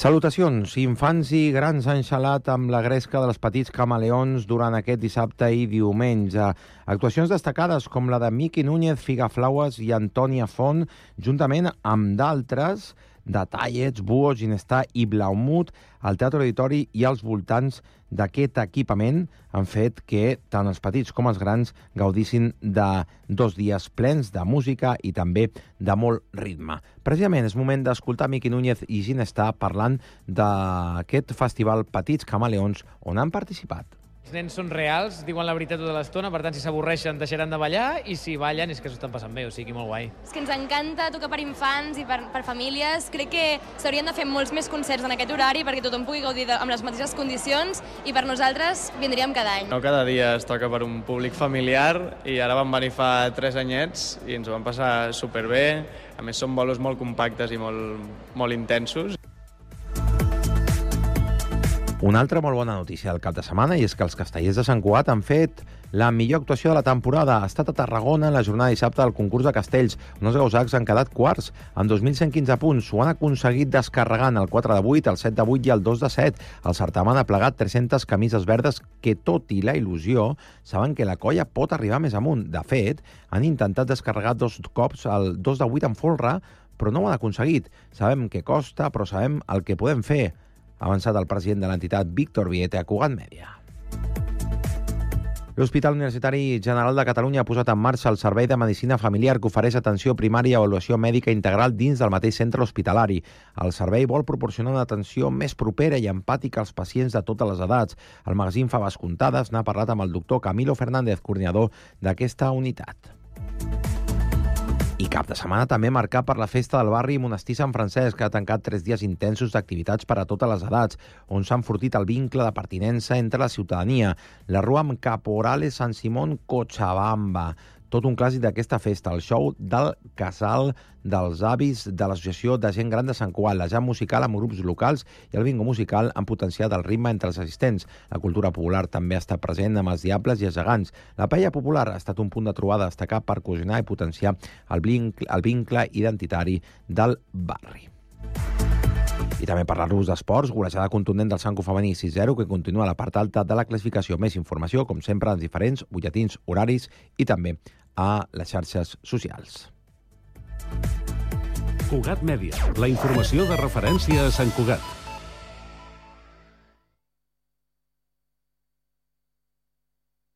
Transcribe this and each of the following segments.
Salutacions. Infants i grans han xalat amb la gresca dels petits camaleons durant aquest dissabte i diumenge. Actuacions destacades com la de Miqui Núñez, Figaflaues i Antònia Font, juntament amb d'altres de Tallets, Buo, Ginestar i Blaumut, al Teatre Auditori i als voltants d'aquest equipament han fet que tant els petits com els grans gaudissin de 2 dies plens de música i també de molt ritme. Precisament és moment d'escoltar Miqui Núñez i Ginestar parlant d'aquest festival Petits Camaleons on han participat. Els nens són reals, diuen la veritat tota l'estona, per tant, si s'avorreixen deixaran de ballar i si ballen és que s'ho estan passant bé, o sigui, molt guai. És que ens encanta tocar per infants i per famílies. Crec que s'haurien de fer molts més concerts en aquest horari perquè tothom pugui gaudir amb les mateixes condicions i per nosaltres vindríem cada any. No cada dia es toca per un públic familiar i ara vam venir fa 3 anyets i ens ho vam passar superbé. A més, són bolos molt compactes i molt intensos. Una altra molt bona notícia del cap de setmana i és que els castellers de Sant Cugat han fet la millor actuació de la temporada. Ha estat a Tarragona en la jornada de dissabte del concurs de castells, on els gausacs han quedat quarts, amb 2.115 punts. Ho han aconseguit descarregant el 4 de 8, el 7 de 8 i el 2 de 7. El certamen ha plegat 300 camises verdes que, tot i la il·lusió, saben que la colla pot arribar més amunt. De fet, han intentat descarregar 2 cops el 2 de 8 en folre, però no ho han aconseguit. Sabem que costa, però sabem el que podem fer, ha avançat el president de l'entitat, Víctor Viete, a Cugat Mèdia. L'Hospital Universitari General de Catalunya ha posat en marxa el Servei de Medicina Familiar que ofereix atenció primària i avaluació mèdica integral dins del mateix centre hospitalari. El servei vol proporcionar una atenció més propera i empàtica als pacients de totes les edats. El magazín Faves Comptades n'ha parlat amb el doctor Camilo Fernández, coordinador d'aquesta unitat. I cap de setmana també marcat per la festa del barri Monestir Sant Francesc, que ha tancat 3 dies intensos d'activitats per a totes les edats, on s'ha enfortit el vincle de pertinença entre la ciutadania. La rua amb Caporales Sant Simón Cochabamba. Tot un clàssic d'aquesta festa, el show del Casal dels Avis de l'Associació de Gent Gran de Sant Cugat, la jam musical amb grups locals i el bingo musical han potenciat el ritme entre els assistents. La cultura popular també està present amb els diables i els gegants. La paella popular ha estat un punt de trobada destacat per cohesionar i potenciar el vincle identitari del barri. I també parlar-vos d'esports, golejada contundent del Sanco femení 6-0, que continua a la part alta de la classificació. Més informació, com sempre, als diferents butlletins horaris i també a les xarxes socials. Cugat Mèdia, la informació de referència a Sant Cugat.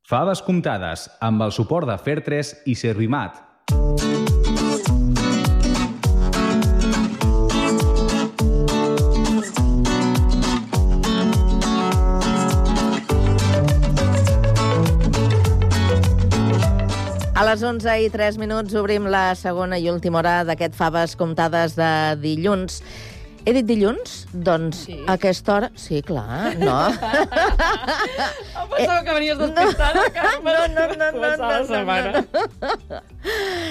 Faves comptades, amb el suport de Fair3 i Servimat. A les 11:03 obrim la segona i última hora d'aquest Faves Comptades de dilluns. He dit dilluns? Doncs sí. A aquesta hora... Sí, clar, no. Pensava que venies despistada. No.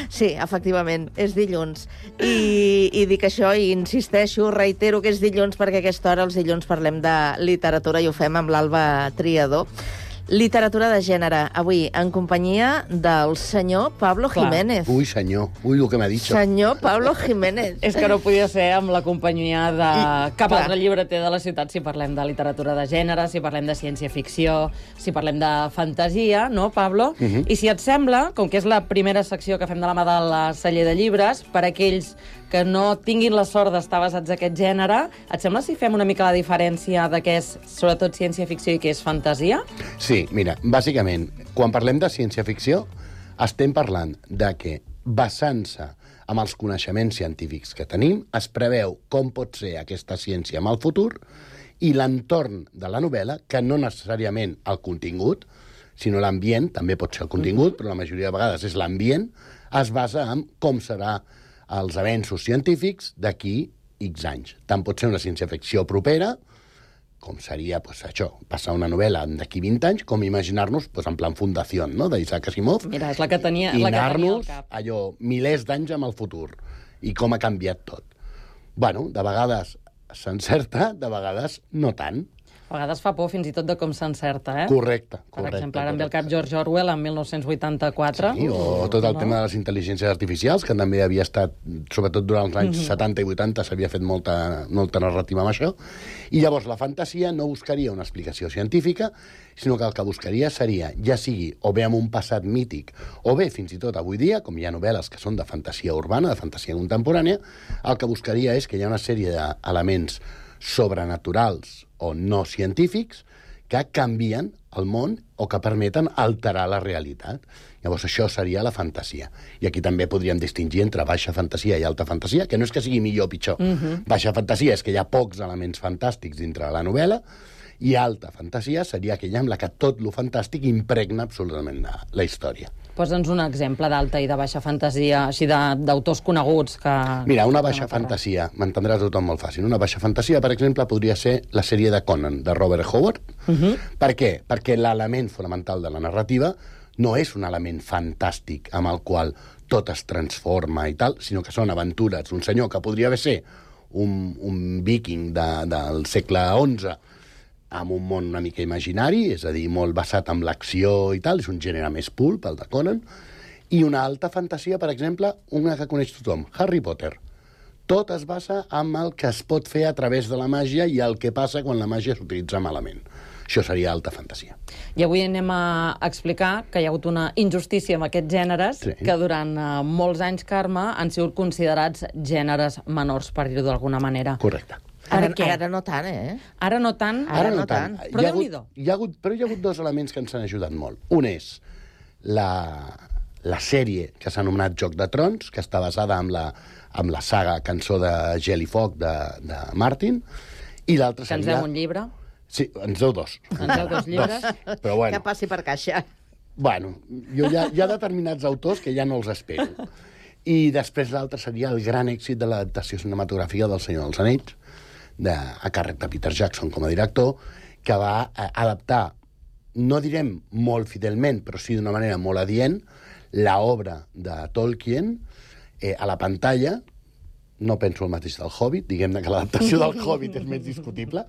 Sí, efectivament, és dilluns. I dic això i insisteixo, reitero que és dilluns perquè a aquesta hora els dilluns parlem de literatura i ho fem amb l'Alba Triador. Literatura de gènere, avui en companyia del senyor Pablo Jiménez. Ui, senyor, ui, el que m'ha dit. Senyor Pablo Jiménez. És que no podia ser amb la companyia de cap altre llibreter de la ciutat si parlem de literatura de gènere, si parlem de ciència-ficció, si parlem de fantasia, no, Pablo? I si et sembla, com que és la primera secció que fem de la mà de la celler de llibres, per aquells que no tinguin la sort d'estar basats en aquest gènere, et sembla si fem una mica la diferència de què és, sobretot, ciència-ficció i què és fantasia? Sí, mira, bàsicament, quan parlem de ciència-ficció, estem parlant de que, basant-se amb els coneixements científics que tenim, es preveu com pot ser aquesta ciència en el futur i l'entorn de la novel·la, que no necessàriament el contingut, sinó l'ambient, també pot ser el contingut, però la majoria de vegades és l'ambient, es basa en com serà els avenços científics d'aquí X anys. Tant pot ser una ciència-ficció propera, com seria això, passar una novel·la d'aquí 20 anys, com imaginar-nos en plan Fundació, no?, d'Isaac Asimov. Mira, és la que tenia al cap. Allò, milers d'anys amb el futur, i com ha canviat tot. Bueno, de vegades s'encerta, de vegades no tant. A vegades fa por fins i tot de com s'encerta, Correcte. Per exemple, ara em ve al cap George Orwell en 1984. Sí, o tot el tema de les intel·ligències artificials, que també havia estat, sobretot durant els anys 70 i 80, s'havia fet molta narrativa amb això. I llavors la fantasia no buscaria una explicació científica, sinó que el que buscaria seria, ja sigui o bé amb un passat mític, o bé fins i tot avui dia, com hi ha novel·les que són de fantasia urbana, de fantasia contemporània, el que buscaria és que hi ha una sèrie d'elements sobrenaturals o no científics que canvien el món o que permeten alterar la realitat. Llavors això seria la fantasia. I aquí també podríem distingir entre baixa fantasia i alta fantasia, que no és que sigui millor o pitjor. Baixa fantasia és que hi ha pocs elements fantàstics dintre de la novel·la, i alta fantasia seria aquella amb la que tot lo fantàstic impregna absolutament la història. Posa'ns un exemple d'alta i de baixa fantasia, així d'autors coneguts que... Mira, una baixa fantasia, m'entendrà tothom molt fàcil, una baixa fantasia, per exemple, podria ser la sèrie de Conan, de Robert Howard. Per què? Perquè l'element fonamental de la narrativa no és un element fantàstic amb el qual tot es transforma i tal, sinó que són aventures d'un senyor que podria ser un viking del segle XI, amb un món una mica imaginari, és a dir, molt basat en l'acció i tal, és un gènere més pulp, el de Conan, i una alta fantasia, per exemple, una que coneix tothom, Harry Potter. Tot es basa en el que es pot fer a través de la màgia i el que passa quan la màgia s'utilitza malament. Això seria alta fantasia. I avui anem a explicar que hi ha hagut una injustícia amb aquests gèneres que durant molts anys, Carme, han sigut considerats gèneres menors, per dir-ho d'alguna manera. Correcte. Ara no tant, Ara no tant? Ara no tant. Però Déu-n'hi-do. Però hi ha hagut dos elements que ens han ajudat molt. Un és la sèrie que s'ha anomenat Joc de Trons, que està basada en la saga Cançó de Gel i Foc de Martin, i l'altre seria... Que ens deu un llibre. Sí, ens deu dos. Ens deu dos llibres. Però bueno. Que passi per caixa. Bueno, hi ha determinats autors que ja no els espero. I després l'altre seria el gran èxit de l'adaptació cinematogràfica del Senyor dels Anells, a càrrec de Peter Jackson com a director, que va adaptar, no direm molt fidelment, però sí d'una manera molt adient, l'obra de Tolkien a la pantalla. No penso el mateix del Hobbit, diguem-ne que l'adaptació del Hobbit és més discutible,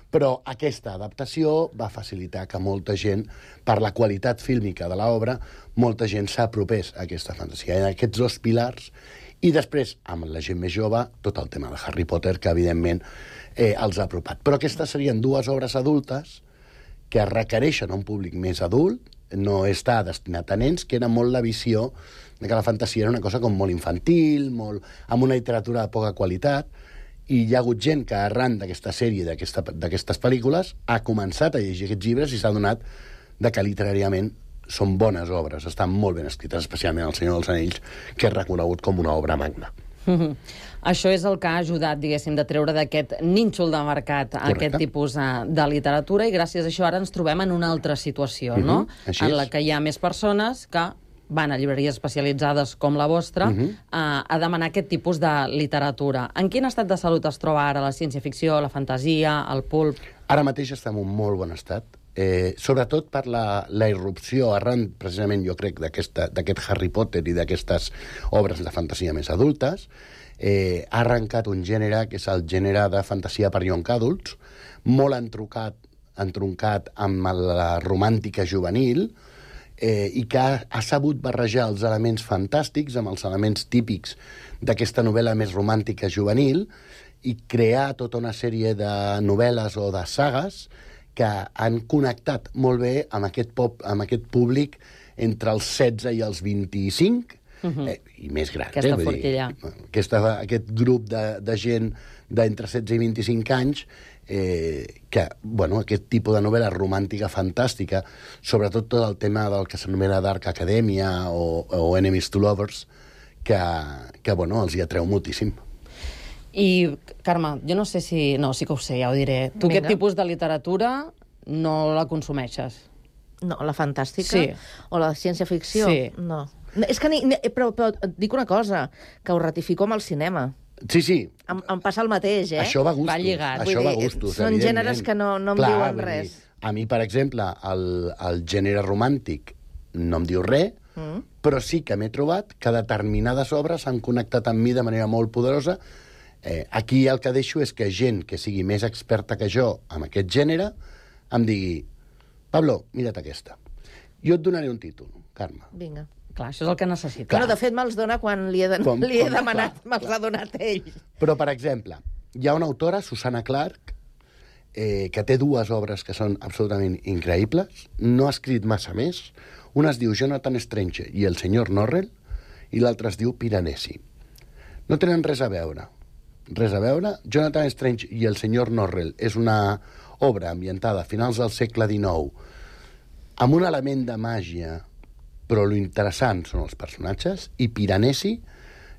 però aquesta adaptació va facilitar que molta gent, per la qualitat fílmica de l'obra, molta gent s'apropés a aquesta fantasia. En aquests dos pilars, i després, amb la gent més jove, tot el tema de Harry Potter, que evidentment els ha apropat. Però aquestes serien dues obres adultes que requereixen un públic més adult, no està destinat a nens, que era molt la visió de que la fantasia era una cosa com molt infantil, amb una literatura de poca qualitat, i hi ha hagut gent que arran d'aquesta sèrie, d'aquestes pel·lícules, ha començat a llegir aquests llibres i s'ha adonat de que literàriament són bones obres, estan molt ben escrites, especialment El Senyor dels Anells, que és reconegut com una obra magna. Això és el que ha ajudat, diguéssim, de treure d'aquest nínxol de mercat aquest tipus de literatura, i gràcies a això ara ens trobem en una altra situació, no? En la que hi ha més persones que van a llibreries especialitzades com la vostra a demanar aquest tipus de literatura. En quin estat de salut es troba ara la ciència-ficció, la fantasia, el pulp? Ara mateix està en un molt bon estat, sobretot per la irrupció arran, precisament, jo crec, d'aquest Harry Potter i d'aquestes obres de fantasia més adultes. Ha arrencat un gènere que és el gènere de fantasia per young adults, molt entroncat amb la romàntica juvenil, i que ha sabut barrejar els elements fantàstics amb els elements típics d'aquesta novel·la més romàntica juvenil i crear tota una sèrie de novel·les o de sagues que han connectat molt bé amb aquest públic entre els 16 i els 25, i més gran. Aquesta forquilla. Aquest grup de gent d'entre 16 i 25 anys que, bueno, aquest tipus de novel·la romàntica fantàstica, sobretot tot el tema del que s'anomena Dark Academia o Enemies to Lovers, que bueno, els hi atreu moltíssim. I, Carme, jo no sé si... No, sí que ho sé, ja ho diré. Tu aquest tipus de literatura no la consumeixes? No, la fantàstica? Sí. O la ciència-ficció? Sí. No. És que però et dic una cosa, que ho ratifico amb el cinema. Sí. Em passa el mateix, Això va a gustos. Va lligat. Això va a gustos, són gèneres que no em diuen res. A mi, per exemple, el gènere romàntic no em diu res, però sí que m'he trobat que determinades obres han connectat amb mi de manera molt poderosa, Aquí el que deixo és que gent que sigui més experta que jo en aquest gènere em digui: Pablo, mira't aquesta. Jo et donaré un títol, Carme. Vinga. Clar, això és el que necessita. Bueno, de fet, me'ls dona quan li he demanat, me'ls ha donat ell. Però, per exemple, hi ha una autora, Susanna Clarke, que té 2 obres que són absolutament increïbles, no ha escrit massa més. Una es diu Jonathan Strange i el senyor Norrell, i l'altra es diu Piranesi. No tenen res a veure. Jonathan Strange i el senyor Norrell és una obra ambientada a finals del segle XIX amb un element de màgia, però lo interessant són els personatges, i Piranesi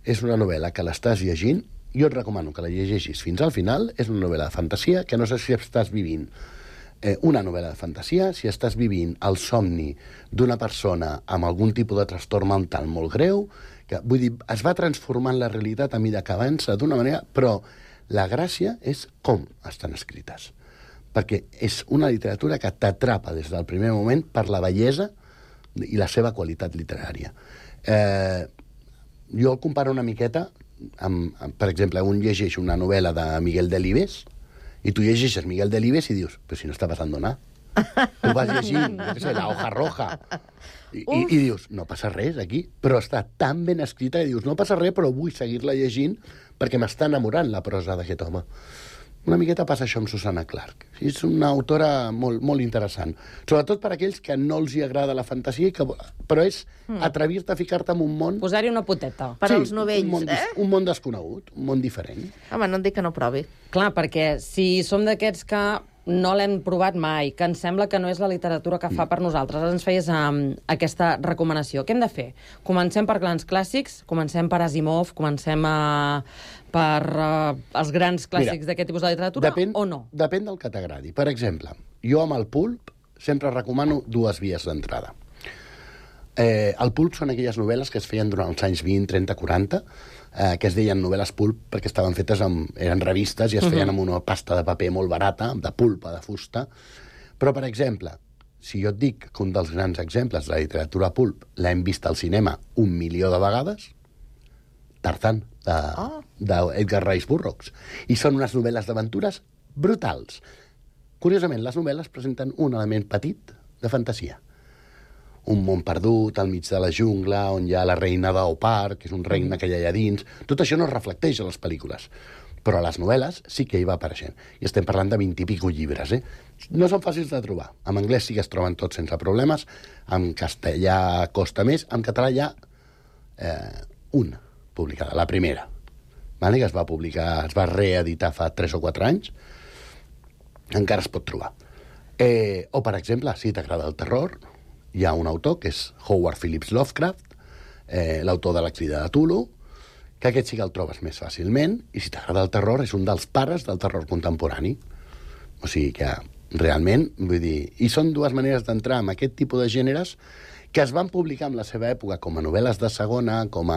és una novel·la que l'estàs llegint, jo et recomano que la llegeixis fins al final, és una novel·la de fantasia, que no sé si estàs vivint una novel·la de fantasia, si estàs vivint el somni d'una persona amb algun tipus de trastorn mental molt greu, que, vull dir, es va transformant la realitat a mida que avança d'una manera, però la gràcia és com estan escrites. Perquè és una literatura que t'atrapa des del primer moment per la bellesa i la seva qualitat literària. Jo el comparo una miqueta amb, per exemple, un llegeix una novel·la de Miguel Delibes i tu llegeixes Miguel Delibes i dius, però si no està passant nada. Tu vas llegint, jo què sé, La hoja roja, i dius, no passa res aquí, però està tan ben escrita que dius, no passa res, però vull seguir-la llegint perquè m'està enamorant la prosa d'aquest home. Una miqueta passa això amb Susanna Clarke. És una autora molt, molt interessant. Sobretot per aquells que no els hi agrada la fantasia, però és atrevir-te a ficar-te en un món... Posar-hi una poteta. Per als novells, un món desconegut, un món diferent. Home, no et dic que no provi. Clar, perquè si som d'aquests que no l'hem provat mai, que ens sembla que no és la literatura que fa per nosaltres, ara ens feies aquesta recomanació. Què hem de fer? Comencem per grans clàssics, comencem per Asimov, comencem per els grans clàssics d'aquest tipus de literatura, o no? Depèn del que t'agradi. Per exemple, jo amb el pulp sempre recomano 2 vies d'entrada. El pulp són aquelles novel·les que es feien durant els anys 20, 30, 40, que es deien novel·les pulp perquè estaven fetes eren revistes i es feien amb una pasta de paper molt barata, de pulpa, de fusta. Però, per exemple, si jo et dic que un dels grans exemples de la literatura pulp l'hem vist al cinema 1 milió de vegades, Tarzan, d'Edgar Rice Burroughs. I són unes novel·les d'aventures brutals. Curiosament, les novel·les presenten un element petit de fantasia. Un món perdut al mig de la jungla, on hi ha la reina d'Opar, que és un regne que hi ha allà dins. Tot això no es reflecteix a les pel·lícules. Però a les novel·les sí que hi va apareixent. I estem parlant de 20 i pico llibres, No són fàcils de trobar. En anglès sí que es troben tots sense problemes, en castellà costa més, en català hi ha una publicada, la primera, que es va publicar, es va reeditar fa 3 o 4 anys, encara es pot trobar. O, per exemple, si t'agrada el terror, hi ha un autor, que és Howard Phillips Lovecraft, l'autor de La crida de Cthulhu, que aquest sí que el trobes més fàcilment, i si t'agrada el terror, és un dels pares del terror contemporani. O sigui que, realment, vull dir... I són 2 maneres d'entrar en aquest tipus de gèneres que es van publicar en la seva època com a novel·les de segona, com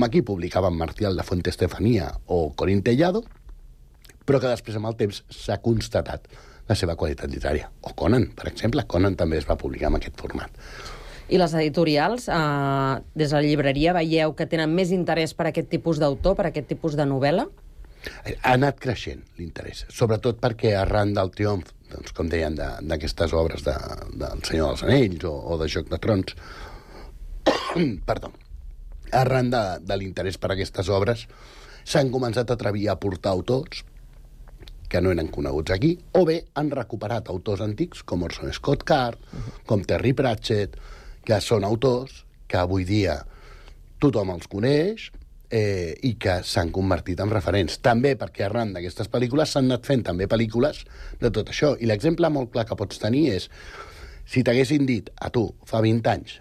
aquí publicaven Martial de Fuente Estefanía o Corín Tellado, però que després, amb el temps, s'ha constatat la seva qualitat literària. O Conan, per exemple. Conan també es va publicar en aquest format. I les editorials, des de la llibreria, veieu que tenen més interès per aquest tipus d'autor, per aquest tipus de novel·la? Ha anat creixent l'interès, sobretot perquè arran del triomf, doncs, com deien, d'aquestes obres del Senyor dels Anells o de Joc de Trons, perdó, arran de l'interès per aquestes obres, s'han començat a atrevir a portar autors que no eren coneguts aquí, o bé han recuperat autors antics com Orson Scott Card, com Terry Pratchett, que són autors que avui dia tothom els coneix i que s'han convertit en referents. També perquè arran d'aquestes pel·lícules s'han anat fent també pel·lícules de tot això. I l'exemple molt clar que pots tenir és si t'haguessin dit a tu fa 20 anys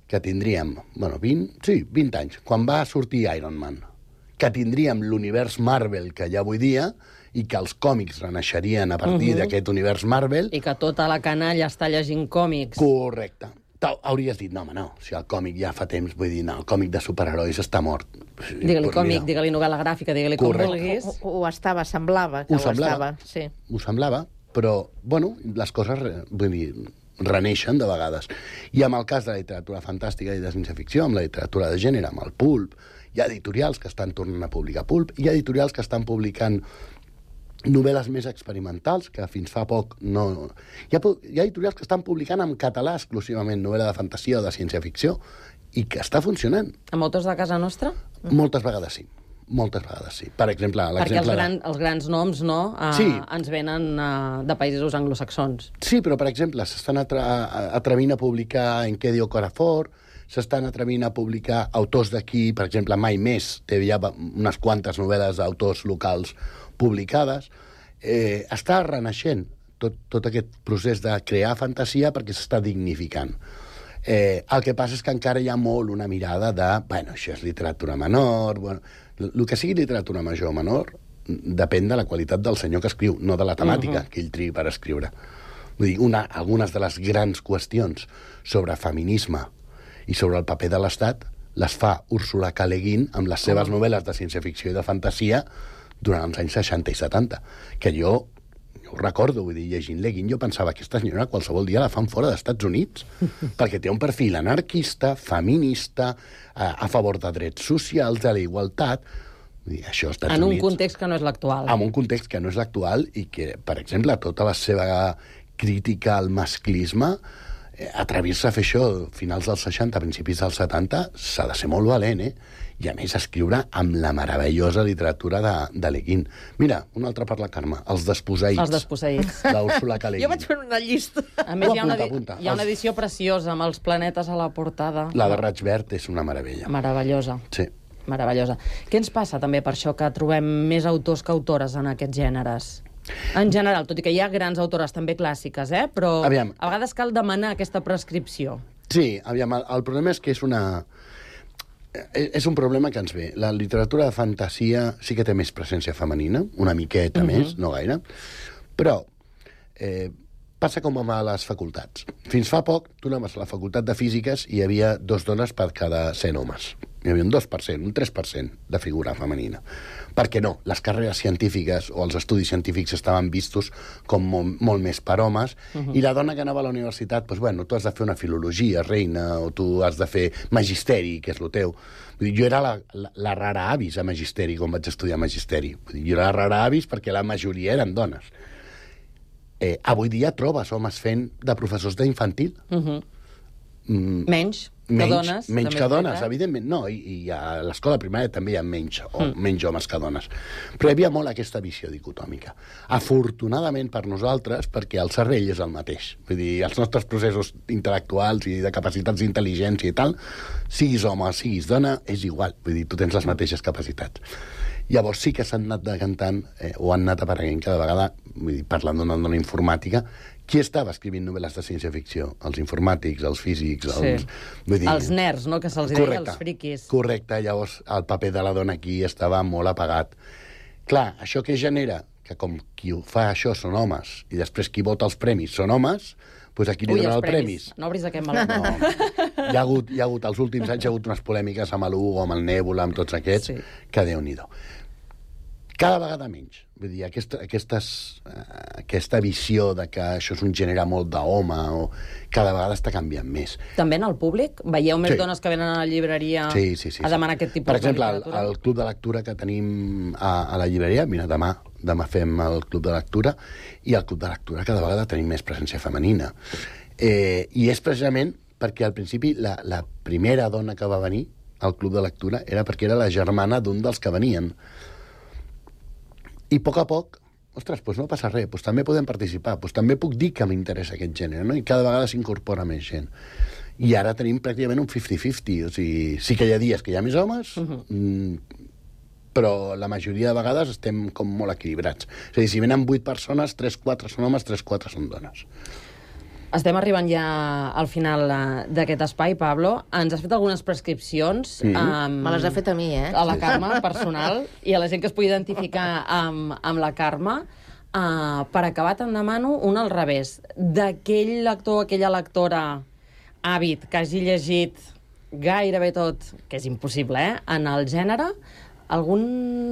que tindríem, 20 anys, quan va sortir Iron Man, que tindríem l'univers Marvel que hi ha avui dia i que els còmics renaixerien a partir d'aquest univers Marvel... I que tota la canalla està llegint còmics. Correcte. Hauries dit, no, si el còmic ja fa temps, vull dir, no, el còmic de superherois està mort. Digue-li còmic, digue-li novel·la gràfica, digue-li com vulguis. Ho estava, semblava que ho estava. Sí. Ho semblava, però, les coses, vull dir, reneixen de vegades. I amb el cas de la literatura fantàstica i de ciència-ficció, amb la literatura de gènere, amb el pulp, Hi ha editorials que estan tornant a publicar pulp, hi ha editorials que estan publicant novel·les més experimentals, que fins fa poc no... Hi ha editorials que estan publicant en català exclusivament novel·la de fantasia o de ciència-ficció i que està funcionant. Amb autors de casa nostra? Moltes vegades sí. Moltes vegades sí. Per exemple, perquè els grans noms no, sí. Ens venen de països anglosaxons. Sí, però, per exemple, s'estan atrevint a publicar Enquedio Corafor, s'estan atrevint a publicar autors d'aquí, per exemple, Mai Més, té ja unes quantes novel·les d'autors locals publicades. Està renaixent tot aquest procés de crear fantasia perquè s'està dignificant. El que passa és que encara hi ha molt una mirada de, bueno, això és literatura menor... Bueno, el que sigui literatura major o menor depèn de la qualitat del senyor que escriu, no de la temàtica que ell triï per escriure. Vull dir, algunes de les grans qüestions sobre feminisme i sobre el paper de l'Estat les fa Úrsula K. Le Guin amb les seves novel·les de ciència-ficció i de fantasia durant els anys 60 i 70, que jo ho recordo, vull dir, llegint Le Guin, jo pensava que aquesta senyora qualsevol dia la fan fora dels Estats Units, perquè té un perfil anarquista, feminista, a favor de drets socials, de la igualtat. Vull dir, això als Estats Units... En un context que no és l'actual. En un context que no és l'actual i que, per exemple, tota la seva crítica al masclisme, atrevir-se a fer això finals dels 60, principis dels 70, s'ha de ser molt valent, I, a més, escriure amb la meravellosa literatura de Le Guin. Mira, un altre per la Carme, Els desposseïts. Els desposseïts. D'Úrsula K. Le Guin. Jo vaig fer una llista. A més, hi ha una edició preciosa amb els planetes a la portada. La de Raig Verd és una meravella. Meravellosa. Sí. Meravellosa. Què ens passa també per això que trobem més autors que autores en aquests gèneres? En general, tot i que hi ha grans autores també clàssiques, però aviam. A vegades cal demanar aquesta prescripció. Sí, aviam, el problema és que és un problema que ens ve. La literatura de fantasia sí que té més presència femenina, una miqueta més, no gaire, però passa com a les facultats. Fins fa poc, tu anaves a la facultat de físiques i hi havia 2 dones per cada 100 homes. Hi havia un 2%, un 3% de figura femenina. Per què no? Les carreres científiques o els estudis científics estaven vistos com molt més per homes, i la dona que anava a la universitat, doncs, bueno, tu has de fer una filologia, reina, o tu has de fer magisteri, que és el teu. Vull dir, jo era la rara avis a magisteri quan vaig estudiar magisteri. Vull dir, jo era la rara avis perquè la majoria eren dones. Avui dia trobes homes fent de professors d'infantil. Menys que dones. Menys que dones, evidentment. No, i a l'escola primària també hi ha menys homes que dones. Però hi havia molt aquesta visió dicotòmica. Afortunadament per nosaltres, perquè el cervell és el mateix. Vull dir, els nostres processos intel·lectuals i de capacitats d'intel·ligència i tal, siguis home o siguis dona, és igual. Vull dir, tu tens les mateixes capacitats. Llavors sí que s'han anat decantant, o han anat apareguent cada vegada, vull dir, parlant d'una dona informàtica, qui estava escrivint novel·les de ciència-ficció? Els informàtics, els físics, els nerds, no?, que se'ls deia, els friquis. Correcte, llavors el paper de la dona aquí estava molt apagat. Clar, això què genera? Que com qui fa això són homes, i després qui vota els premis són homes, doncs aquí li donen els premis. No obris aquest meló. No. Hi ha hagut, els últims anys hi ha hagut unes polèmiques amb l'Hugo, amb el Nébula, amb tots aquests, que Déu-n'hi-do. Cada vegada menys. Vull dir, aquesta visió de que això és un gènere molt d'home, cada vegada està canviant més. També en el públic? Veieu més dones que venen a la llibreria a demanar aquest tipus de literatura? Per exemple, el club de lectura que tenim a la llibreria, mira, demà fem el club de lectura, i al club de lectura cada vegada tenim més presència femenina. I és precisament perquè al principi la primera dona que va venir al club de lectura era perquè era la germana d'un dels que venien. I a poc, ostres, doncs no passa res, doncs també podem participar, doncs també puc dir que m'interessa aquest gènere, no? I cada vegada s'incorpora més gent. I ara tenim pràcticament un 50-50, o sigui, sí que hi ha dies que hi ha més homes, però la majoria de vegades estem com molt equilibrats. És a dir, si venen 8 persones, 3-4 són homes, 3-4 són dones. Estem arribant ja al final d'aquest espai, Pablo. Ens has fet algunes prescripcions. Me les ha fet a mi, a la Carme, personal, i a la gent que es pugui identificar amb la Carme. Per acabar, te'n demano un al revés. D'aquell lector, aquella lectora àvid que hagi llegit gairebé tot, que és impossible, en el gènere, algun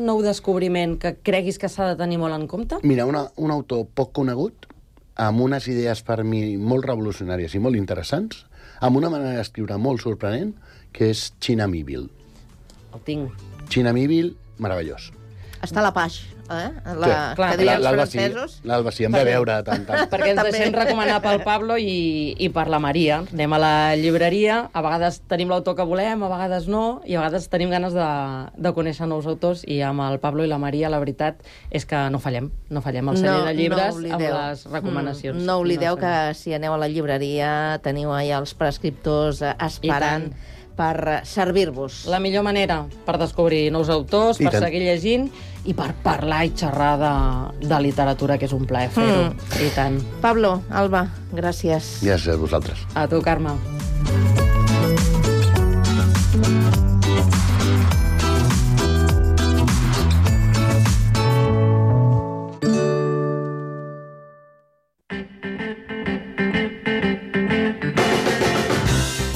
nou descobriment que creguis que s'ha de tenir molt en compte? Mira, un autor poc conegut, amb unes idees per mi molt revolucionàries i molt interessants, amb una manera d'escriure molt sorprenent, que és China Miéville. El tinc. Chinamívil, meravellós. Està a la Paix, clar, que diuen els l'Alba sí, francesos. l'Alba sí, em ve veure tant. Perquè ens deixem recomanar pel Pablo i per la Maria. Anem a la llibreria, a vegades tenim l'autor que volem, a vegades no, i a vegades tenim ganes de conèixer nous autors, i amb el Pablo i la Maria la veritat és que no fallem al celler de llibres amb les recomanacions. No oblideu que si aneu a la llibreria teniu allà els prescriptors esperant per servir-vos. La millor manera per descobrir nous autors, per seguir llegint i per parlar i xerrar de literatura, que és un plaer fer-ho. I tant. Pablo, Alba, gràcies. Gràcies a vosaltres. A tu, Carme.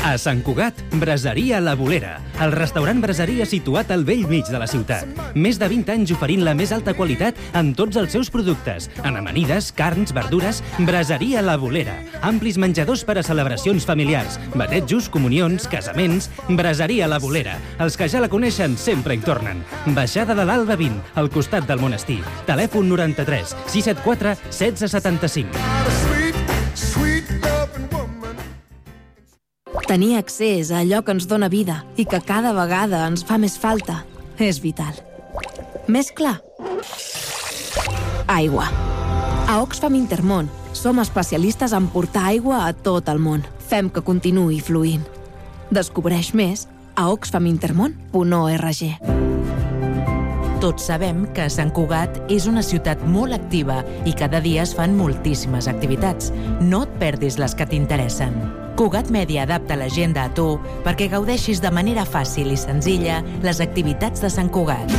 A Sant Cugat, Braseria La Bolera, el restaurant braseria situat al bell mig de la ciutat. Més de 20 anys oferint la més alta qualitat en tots els seus productes. En amanides, carns, verdures, Braseria La Bolera. Amplis menjadors per a celebracions familiars, batejos, comunions, casaments. Braseria La Bolera. Els que ja la coneixen sempre hi tornen. Baixada de l'Alba 20, al costat del monestir. Telèfon 93 674 1675. Tenir accés a allò que ens dóna vida i que cada vegada ens fa més falta és vital. Més clar? Aigua. A Oxfam Intermón som especialistes en portar aigua a tot el món. Fem que continuï fluint. Descobreix més a oxfamintermon.org. Tots sabem que Sant Cugat és una ciutat molt activa i cada dia es fan moltíssimes activitats. No et perdis les que t'interessen. Cugat Mèdia adapta l'agenda a tu perquè gaudeixis de manera fàcil i senzilla les activitats de Sant Cugat.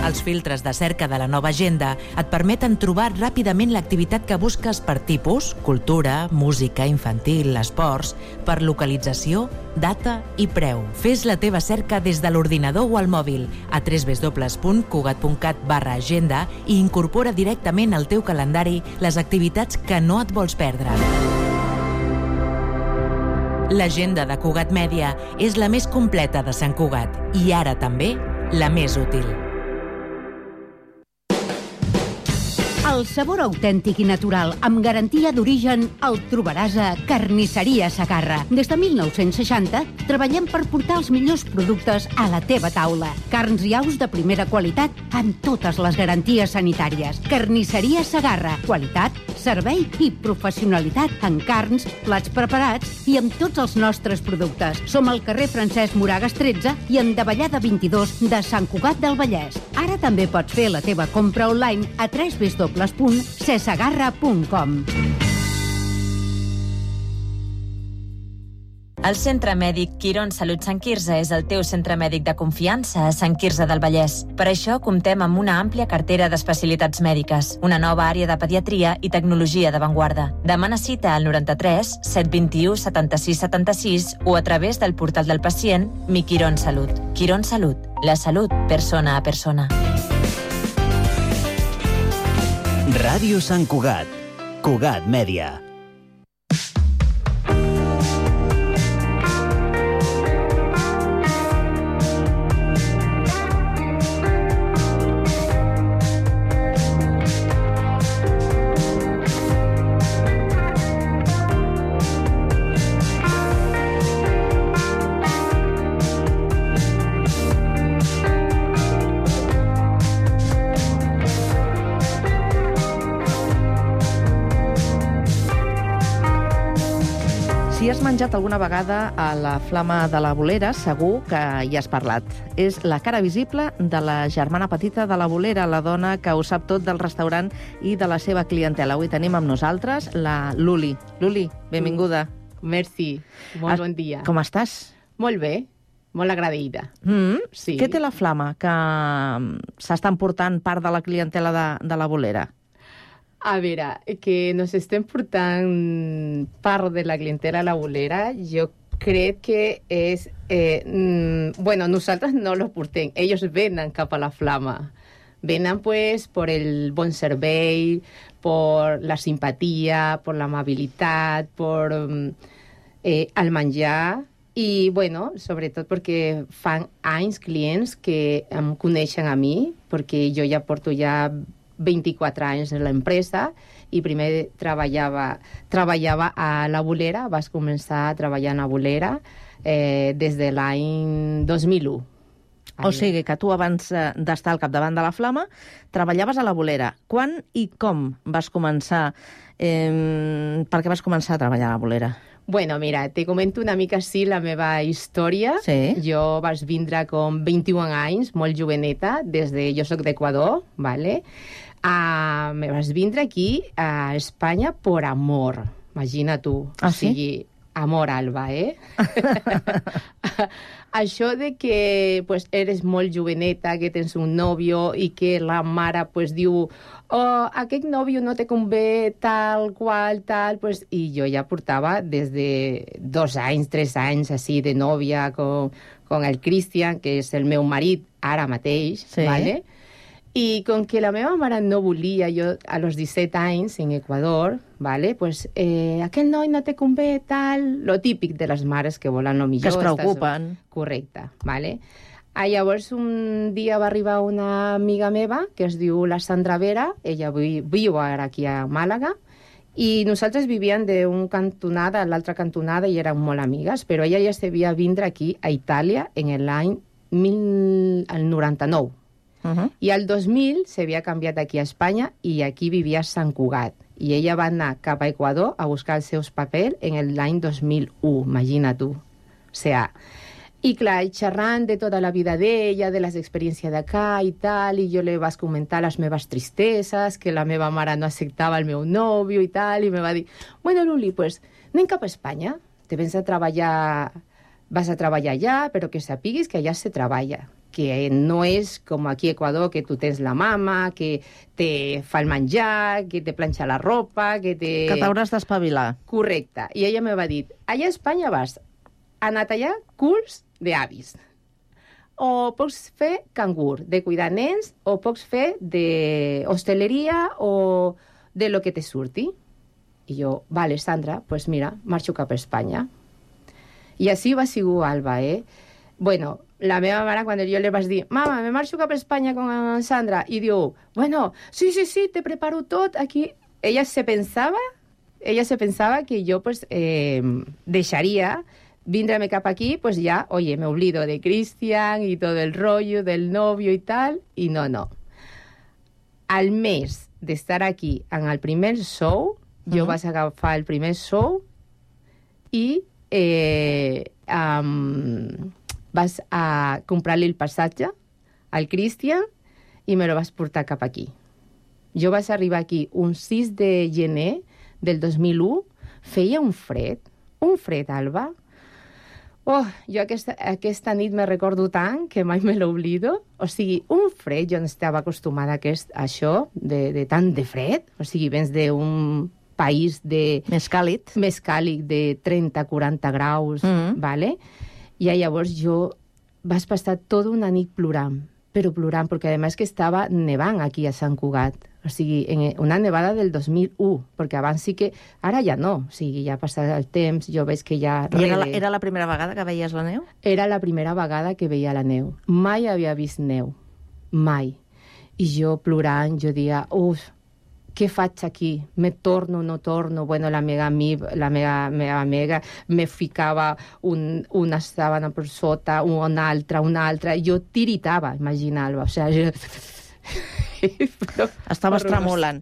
Els filtres de cerca de la nova agenda et permeten trobar ràpidament l'activitat que busques per tipus, cultura, música, infantil, esports, per localització, data i preu. Fes la teva cerca des de l'ordinador o al mòbil a www.cugat.cat/agenda i incorpora directament al teu calendari les activitats que no et vols perdre. L'agenda de Cugat Mèdia és la més completa de Sant Cugat i ara també la més útil. El sabor autèntic i natural, amb garantia d'origen, el trobaràs a Carnisseria Segarra. Des de 1960 treballem per portar els millors productes a la teva taula. Carns i aus de primera qualitat amb totes les garanties sanitàries. Carnisseria Segarra. Qualitat, servei i professionalitat en carns, plats preparats i amb tots els nostres productes. Som al carrer Francesc Moragas 13 i en Davallada 22 de Sant Cugat del Vallès. Ara també pots fer la teva compra online a www.cesegarra.com. El Centre Mèdic Quirón Salut Sant Quirze és el teu centre mèdic de confiança a Sant Quirze del Vallès. Per això comptem amb una àmplia cartera d'especialitats mèdiques, una nova àrea de pediatria i tecnologia d'avantguarda. Demana cita al 93 721 76 76 o a través del portal del pacient Mi Quirón Salut. Quirón Salut, la salut persona a persona. Ràdio Sant Cugat. Cugat Mèdia. Si has menjat alguna vegada a la Flama de la Bolera, segur que hi has parlat. És la cara visible de la germana petita de la Bolera, la dona que ho sap tot del restaurant i de la seva clientela. Avui tenim amb nosaltres la Luli. Luli, benvinguda. Merci, molt bon dia. Com estàs? Molt bé, molt agraïda. Sí. Què té la Flama que s'està emportant part de la clientela de la Bolera? A veure, que nos estem portant part de la clientela a la Bolera, jo crec que és... bueno, nosaltres no los portem, ells venen cap a la Flama. Venen, pues, por el bon servei, por la simpatia, por la amabilitat, por el menjar I, bueno, sobretot perquè fan anys clients que em coneixen a mi, perquè jo ja porto 24 anys en l'empresa i primer treballava a la Bolera, vas començar a treballar a la Bolera des de l'any 2001. O sigui que tu, abans d'estar al capdavant de la Flama, treballaves a la Bolera. Quan i com vas començar? Per què vas començar a treballar a la Bolera? Bueno, mira, te comento una mica així la meva història. Sí. Jo vaig vindre com 21 anys, molt joveneta, jo soc d'Equador, ¿vale? Me vaig vindre aquí a Espanya por amor, imagina tu. Ah, sí? O sigui, amor, Alba, Això de que pues, eres molt joveneta, que tens un nòvio i que la mare pues, diu aquest nòvio no te convé tal qual, tal... Pues, i jo ja portava des de 2 anys, 3 anys, així, de nòvia con el Cristian, que és el meu marit ara mateix, sí. ¿vale? I com que la meva mare no volia, jo a los 17 anys en Equador, ¿vale? Pues, aquell noi no te convé, tal... Lo típic de les mares que volen lo millor. Que es preocupen. Correcte, ¿vale? Llavors, un dia va arribar una amiga meva, que es diu la Sandra Vera, ella viu ara aquí a Màlaga, i nosaltres vivíem d'un cantonada a l'altra cantonada i érem molt amigues, però ella ja s'havia vindre aquí a Itàlia en l'any 99. I al 2000 s'havia canviat aquí a Espanya i aquí vivia a Sant Cugat. I ella va anar cap a Equador a buscar els seus papers en l'any 2001, imagina tu. O sea, i clar, xerrant de tota la vida d'ella, de les experiències d'acá i tal, i jo li vaig comentar les meves tristeses, que la meva mare no acceptava el meu nòvio i tal, i me va dir, bueno, Luli, pues anem cap a Espanya, te vas a treballar allà, però que sapiguis que allà se treballa, que no és com aquí a Equador, que tu tens la mama, que te fa el menjar, que te planxa la ropa, que t'hauràs d'espavilar. Correcte. I ella me va dir, allà a Espanya vas a netejar culs d'avis. O pots fer cangur, de cuidar nens, o pots fer d'hostaleria o de lo que te surti. I jo, vale, Sandra, pues mira, marxo cap a Espanya. I així va sigut Alba, Bueno, la meva mare, quan jo li vaig dir, mama, me marxo cap a Espanya con Sandra, i diu, bueno, sí, te preparo tot aquí. Ella se pensava que jo pues, deixaria vindreme cap aquí, pues ya, oye, me olvido de Cristian y todo el rollo del novio y tal, y no. Al mes d'estar aquí en el primer show, jo vaig agafar el primer show i vas a comprar-li el passatge al Cristian i me lo vas portar cap aquí. Jo vaig arribar aquí un 6 de gener del 2001, feia un fred, Alba. Jo aquesta nit me recordo tant que mai me l'oblido. O sigui, un fred, jo no estava acostumada a això, de tant de fred. O sigui, vens d'un país més càlid de 30-40 graus, ¿vale? I llavors jo vaig passar tota una nit plorant, perquè a més que estava nevant aquí a Sant Cugat. O sigui, una nevada del 2001, perquè abans sí que... Ara ja no, o sigui, ja ha passat el temps, jo veig que ja... Era la primera vegada que veies la neu? Era la primera vegada que veia la neu. Mai havia vist neu. Mai. I jo plorant, jo dia, què faig aquí? Me torno, no torno? Bueno, la meva amiga me ficava una sàbana per sota, una altra. Jo tiritava, imagina-ho. O sigui, estaves tremolant.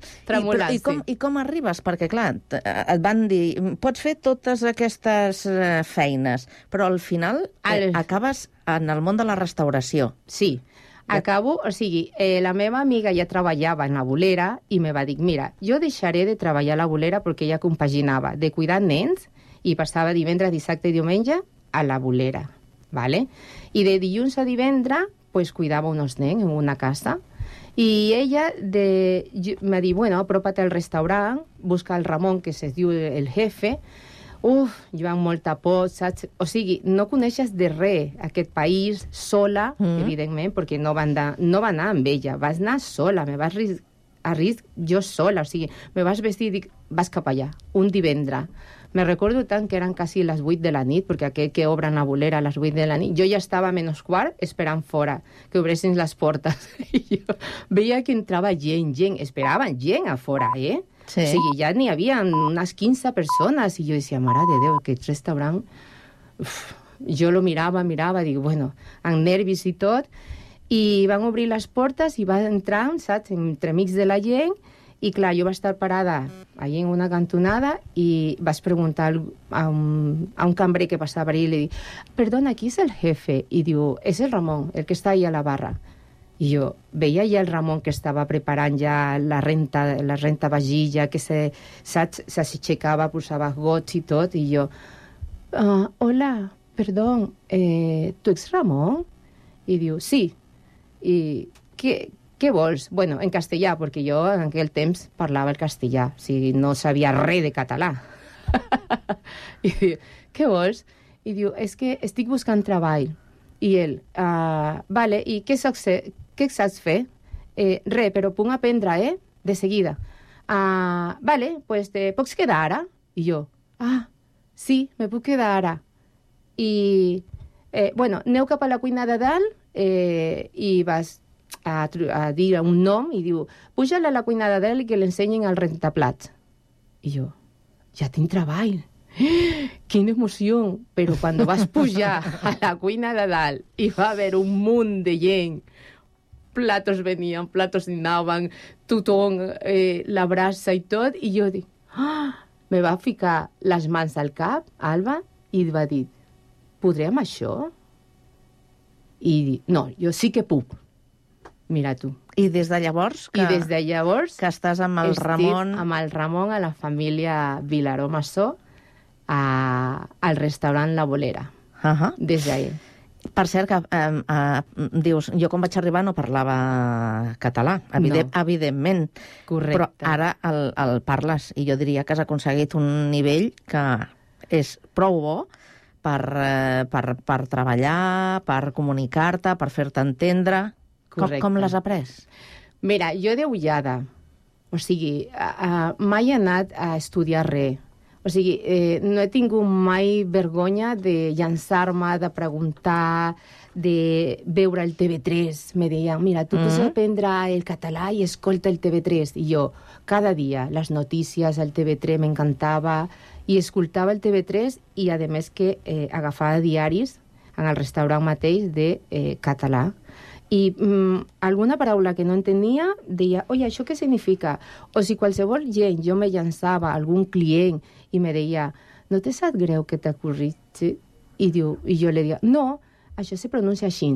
I com arribes? Perquè, clar, et van dir, pots fer totes aquestes feines, però al final acabes en el món de la restauració. Sí, acabo, o sigui, la meva amiga ja treballava en la Bolera i me va dir, mira, jo deixaré de treballar a la Bolera perquè ella compaginava de cuidar nens i passava divendres, dissabte i diumenge a la Bolera, ¿vale? I de dilluns a divendres, pues, cuidava uns nens en una casa. I ella me diu, bueno, apropa't al restaurant, busca el Ramon, que es diu el jefe. Jo amb molta por, saps? O sigui, no coneixes de res aquest país sola, evidentment, perquè no va anar amb ella, vas anar sola, me vas a risc jo sola, o sigui, me vas vestir i dic, vas cap allà, un divendres. Me recordo tant que eren quasi les 8 de la nit, perquè aquell que obren la bolera a les 8 de la nit, jo ja estava a -4 esperant fora, que obressin les portes. I jo veia que entrava gent, esperaven gent a fora, eh? Sí. O sigui, ja n'hi havia unes 15 persones, i jo decía, mare de Déu, aquest restaurant... Uf, jo lo mirava, dic, bueno, amb nervis i tot, i van obrir les portes i va entrar, saps, entremig de la gent, i clar, jo vaig estar parada allà en una cantonada i vaig preguntar a un cambrer que passava allà i li dic, perdona, qui és el jefe? I diu, és el Ramon, el que està allà a la barra. I jo veia ja el Ramon que estava preparant ja la renta vagilla, que s'aixecava, posava gots i tot, i jo, hola, perdó, tu ets Ramon? I diu, sí. I què vols? Bueno, en castellà, perquè jo en aquell temps parlava el castellà, o sigui, no sabia res de català. I diu, què vols? I diu, és que estic buscant treball. I ell, vale, i què saps fer? Res, però puc aprendre, de seguida. Vale, pues te pots quedar ara? I jo, sí, me puc quedar ara. I, bueno, aneu cap a la cuina de dalt i vas a dir un nom i diu, puja a la cuina de dalt i que l'ensenyin el rentaplats. I jo, ja tinc treball. Quina emoció! Però quan vas pujar a la cuina de dalt i va haver un munt de gent, platos venien, platos anaven, tothom, la brasa i tot, i jo dic, me va ficar les mans al cap, Alba, i va dir, podrem això? I dic, no, jo sí que puc. Mira tu. I des de llavors? I des de llavors... Que estàs amb el Ramon... Estic amb el Ramon a la família Vilaró Massó, al restaurant La Bolera. Des d'ahir. Per cert, que dius, jo quan vaig arribar no parlava català, evidentment. Correcte. Però ara el parles, i jo diria que has aconseguit un nivell que és prou bo per treballar, per comunicar-te, per fer-te entendre. Com l'has après? Mira, jo d'ullada, o sigui, mai he anat a estudiar res. O sigui, no he tingut mai vergonya de llançar-me, de preguntar, de veure el TV3. Me deien, mira, tu pots aprendre el català i escolta el TV3. I jo, cada dia, les notícies, el TV3 m'encantava, i escoltava el TV3 i, a més, que agafava diaris en el restaurant mateix de català. I alguna paraula que no entenia, deia, oi, això què significa? O si qualsevol gent, jo me llançava algun client i me deia, no te sap greu que t'ha corregit? I jo li deia, no, això se pronuncia així.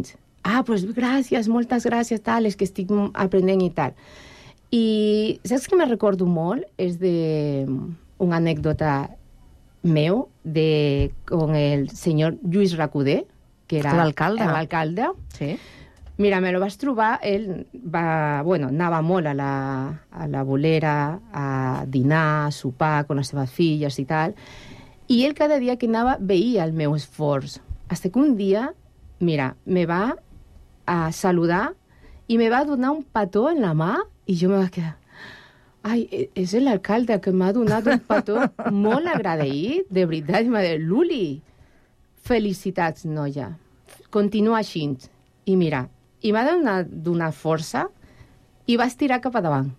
Pues gràcies, moltes gràcies, tal, és que estic aprenent i tal. I saps que me recordo molt? És d'una anècdota meu con el senyor Lluís Recoder, que era l'alcalde. Sí. Mira, me lo vas trobar, ell anava molt a la Bolera a dinar, a sopar amb les seves filles i tal, i ell cada dia que anava veia el meu esforç. Fins que un dia, mira, me va a saludar i me va donar un petó en la mà i jo me vaig quedar, ai, és l'alcalde que m'ha donat un petó molt agraït, de veritat, i m'ha dit, Luli, felicitats, noia, continua així. I mira, i m'ha donat força i va estirar cap a davant.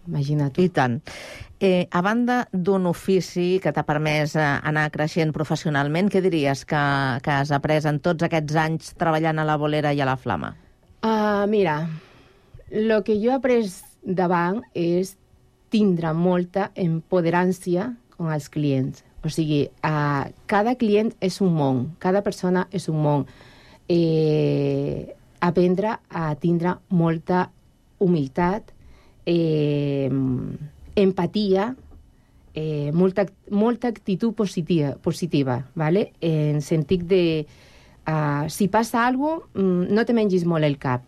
Imagina't. I tant. A banda d'un ofici que t'ha permès anar creixent professionalment, què diries que has après en tots aquests anys treballant a la Bolera i a la Flama? Mira, el que jo he après davant és tindre molta empoderància amb els clients. O sigui, cada client és un món, cada persona és un món. Aprendre a tindre molta humilitat, empatia, molta actitud positiva, ¿vale? En sentit de si passa alguna cosa, no te mengis molt el cap,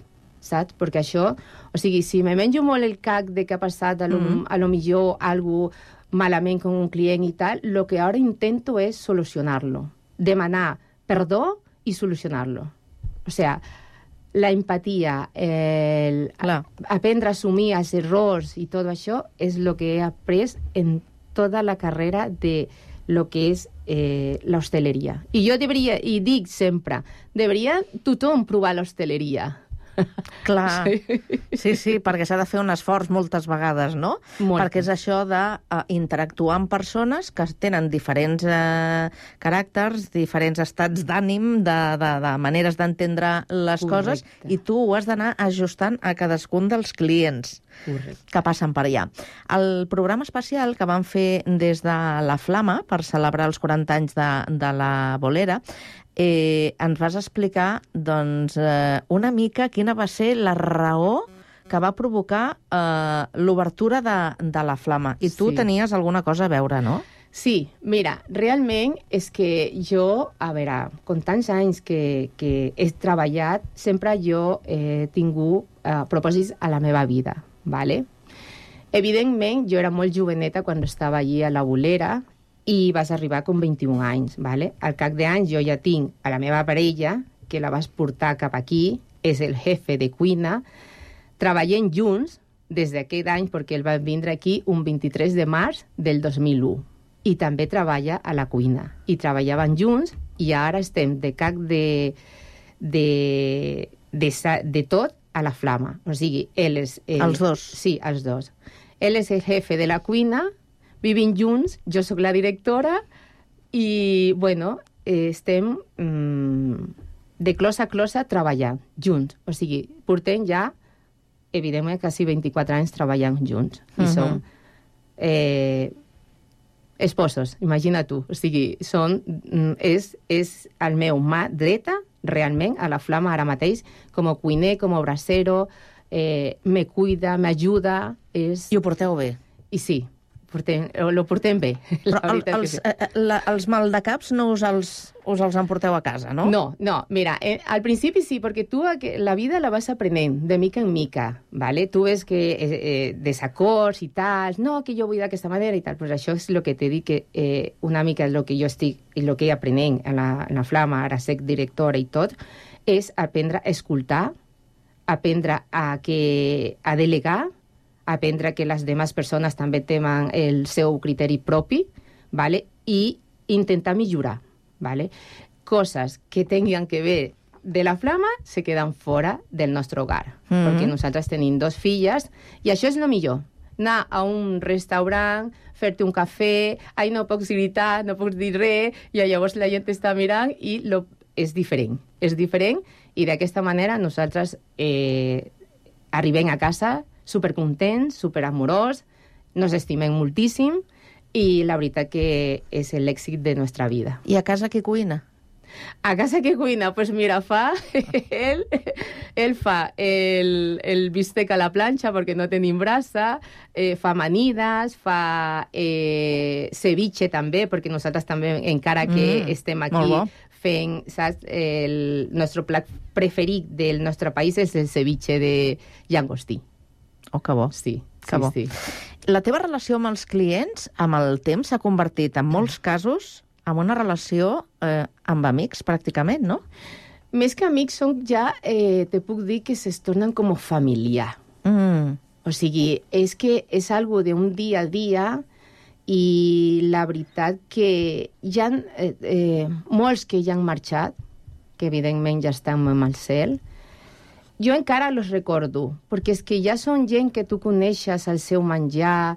saps? Perquè això, o sigui, si me menjo molt el cap de que ha passat a lo millor algo malament con un client i tal, lo que ara intento és solucionar-lo, demanar perdó i solucionar-lo. O sea, la empatia, aprendre a assumir els errors i tot això és el que he après en tota la carrera de lo que és l'hostaleria. I jo dic sempre, deberia tothom provar l'hostaleria. Clar, sí, perquè s'ha de fer un esforç moltes vegades, no? Perquè és això d'interactuar amb persones que tenen diferents caràcters, diferents estats d'ànim, de maneres d'entendre les coses, i tu ho has d'anar ajustant a cadascun dels clients que passen per allà. El programa especial que van fer des de la Flama per celebrar els 40 anys de la bolera, ens vas explicar una mica quina va ser la raó que va provocar l'obertura de la Flama. I tu tenies alguna cosa a veure, no? Sí, mira, realment és que jo, a veure, con tants anys que he treballat, sempre jo he tingut propòsits a la meva vida, ¿vale? Evidentment, jo era molt joveneta quan estava allí a la bolera, i vas arribar com 21 anys, ¿vale? Al cap d'anys jo ja tinc a la meva parella, que la vas portar cap aquí, és el jefe de cuina, treballem junts des d'aquest any, perquè ell va vindre aquí un 23 de març del 2001, i també treballa a la cuina. I treballaven junts, i ara estem de cap de tot a la Flama. O sigui, ell és... Els dos? Sí, els dos. Ell és el jefe de la cuina, vivim junts, jo sóc la directora i, bueno, estem de clos a closa treballant junts. O sigui, portem ja, evidentment, quasi 24 anys treballant junts. I som esposos, imagina tu. O sigui, és el meu mà dreta, realment, a la Flama ara mateix, com a cuiner, com a bracero, me cuida, m'ajuda. I ho porteu bé? I sí. Lo portem bé. Però els maldecaps no us els emporteu a casa, no? No, mira, al principi sí, perquè tu la vida la vas aprenent de mica en mica, ¿vale? Tu ves que desacords i tal, no, que jo vull d'aquesta manera i tal, pues això és el que t'he dit, que una mica el que jo estic i el que he aprenent en la Flama, ara sec directora i tot, és aprendre a escoltar, aprendre a delegar, aprendre que les demás persones també tenen el seu criteri propi, ¿vale? I intentar millorar, ¿vale? Coses que tinguin que ver de la Flama se queden fora del nostre hogar, perquè nosaltres tenim 2 filles i això és el millor. Anar a un restaurant, fer-te un cafè, no pots gritar, no pots dir res, i llavors la gent està mirant i és diferent. És diferent i d'aquesta manera nosaltres arribem a casa supercontents, superamorós, nos estimem moltíssim i la veritat que és l'èxit de nostra vida. I a casa qui cuina? A casa qui cuina? Pues mira, ell fa el bistec a la planxa perquè no tenim brasa, fa amanides, fa ceviche també, perquè nosaltres també, encara que estem aquí fent, saps, el nostre plat preferit del nostre país és el ceviche de llangostí. Oh, que bo. Sí, que bo. Sí. La teva relació amb els clients, amb el temps, s'ha convertit, en molts casos, en una relació amb amics, pràcticament, no? Més que amics, te puc dir que se tornen com familiar. O sigui, és que és algo d'un dia a dia i la veritat que hi ha molts que ja han marxat, que evidentment ja estan amb el cel. Jo encara los recordo, perquè és que ja són gent que tu coneixes el seu menjar,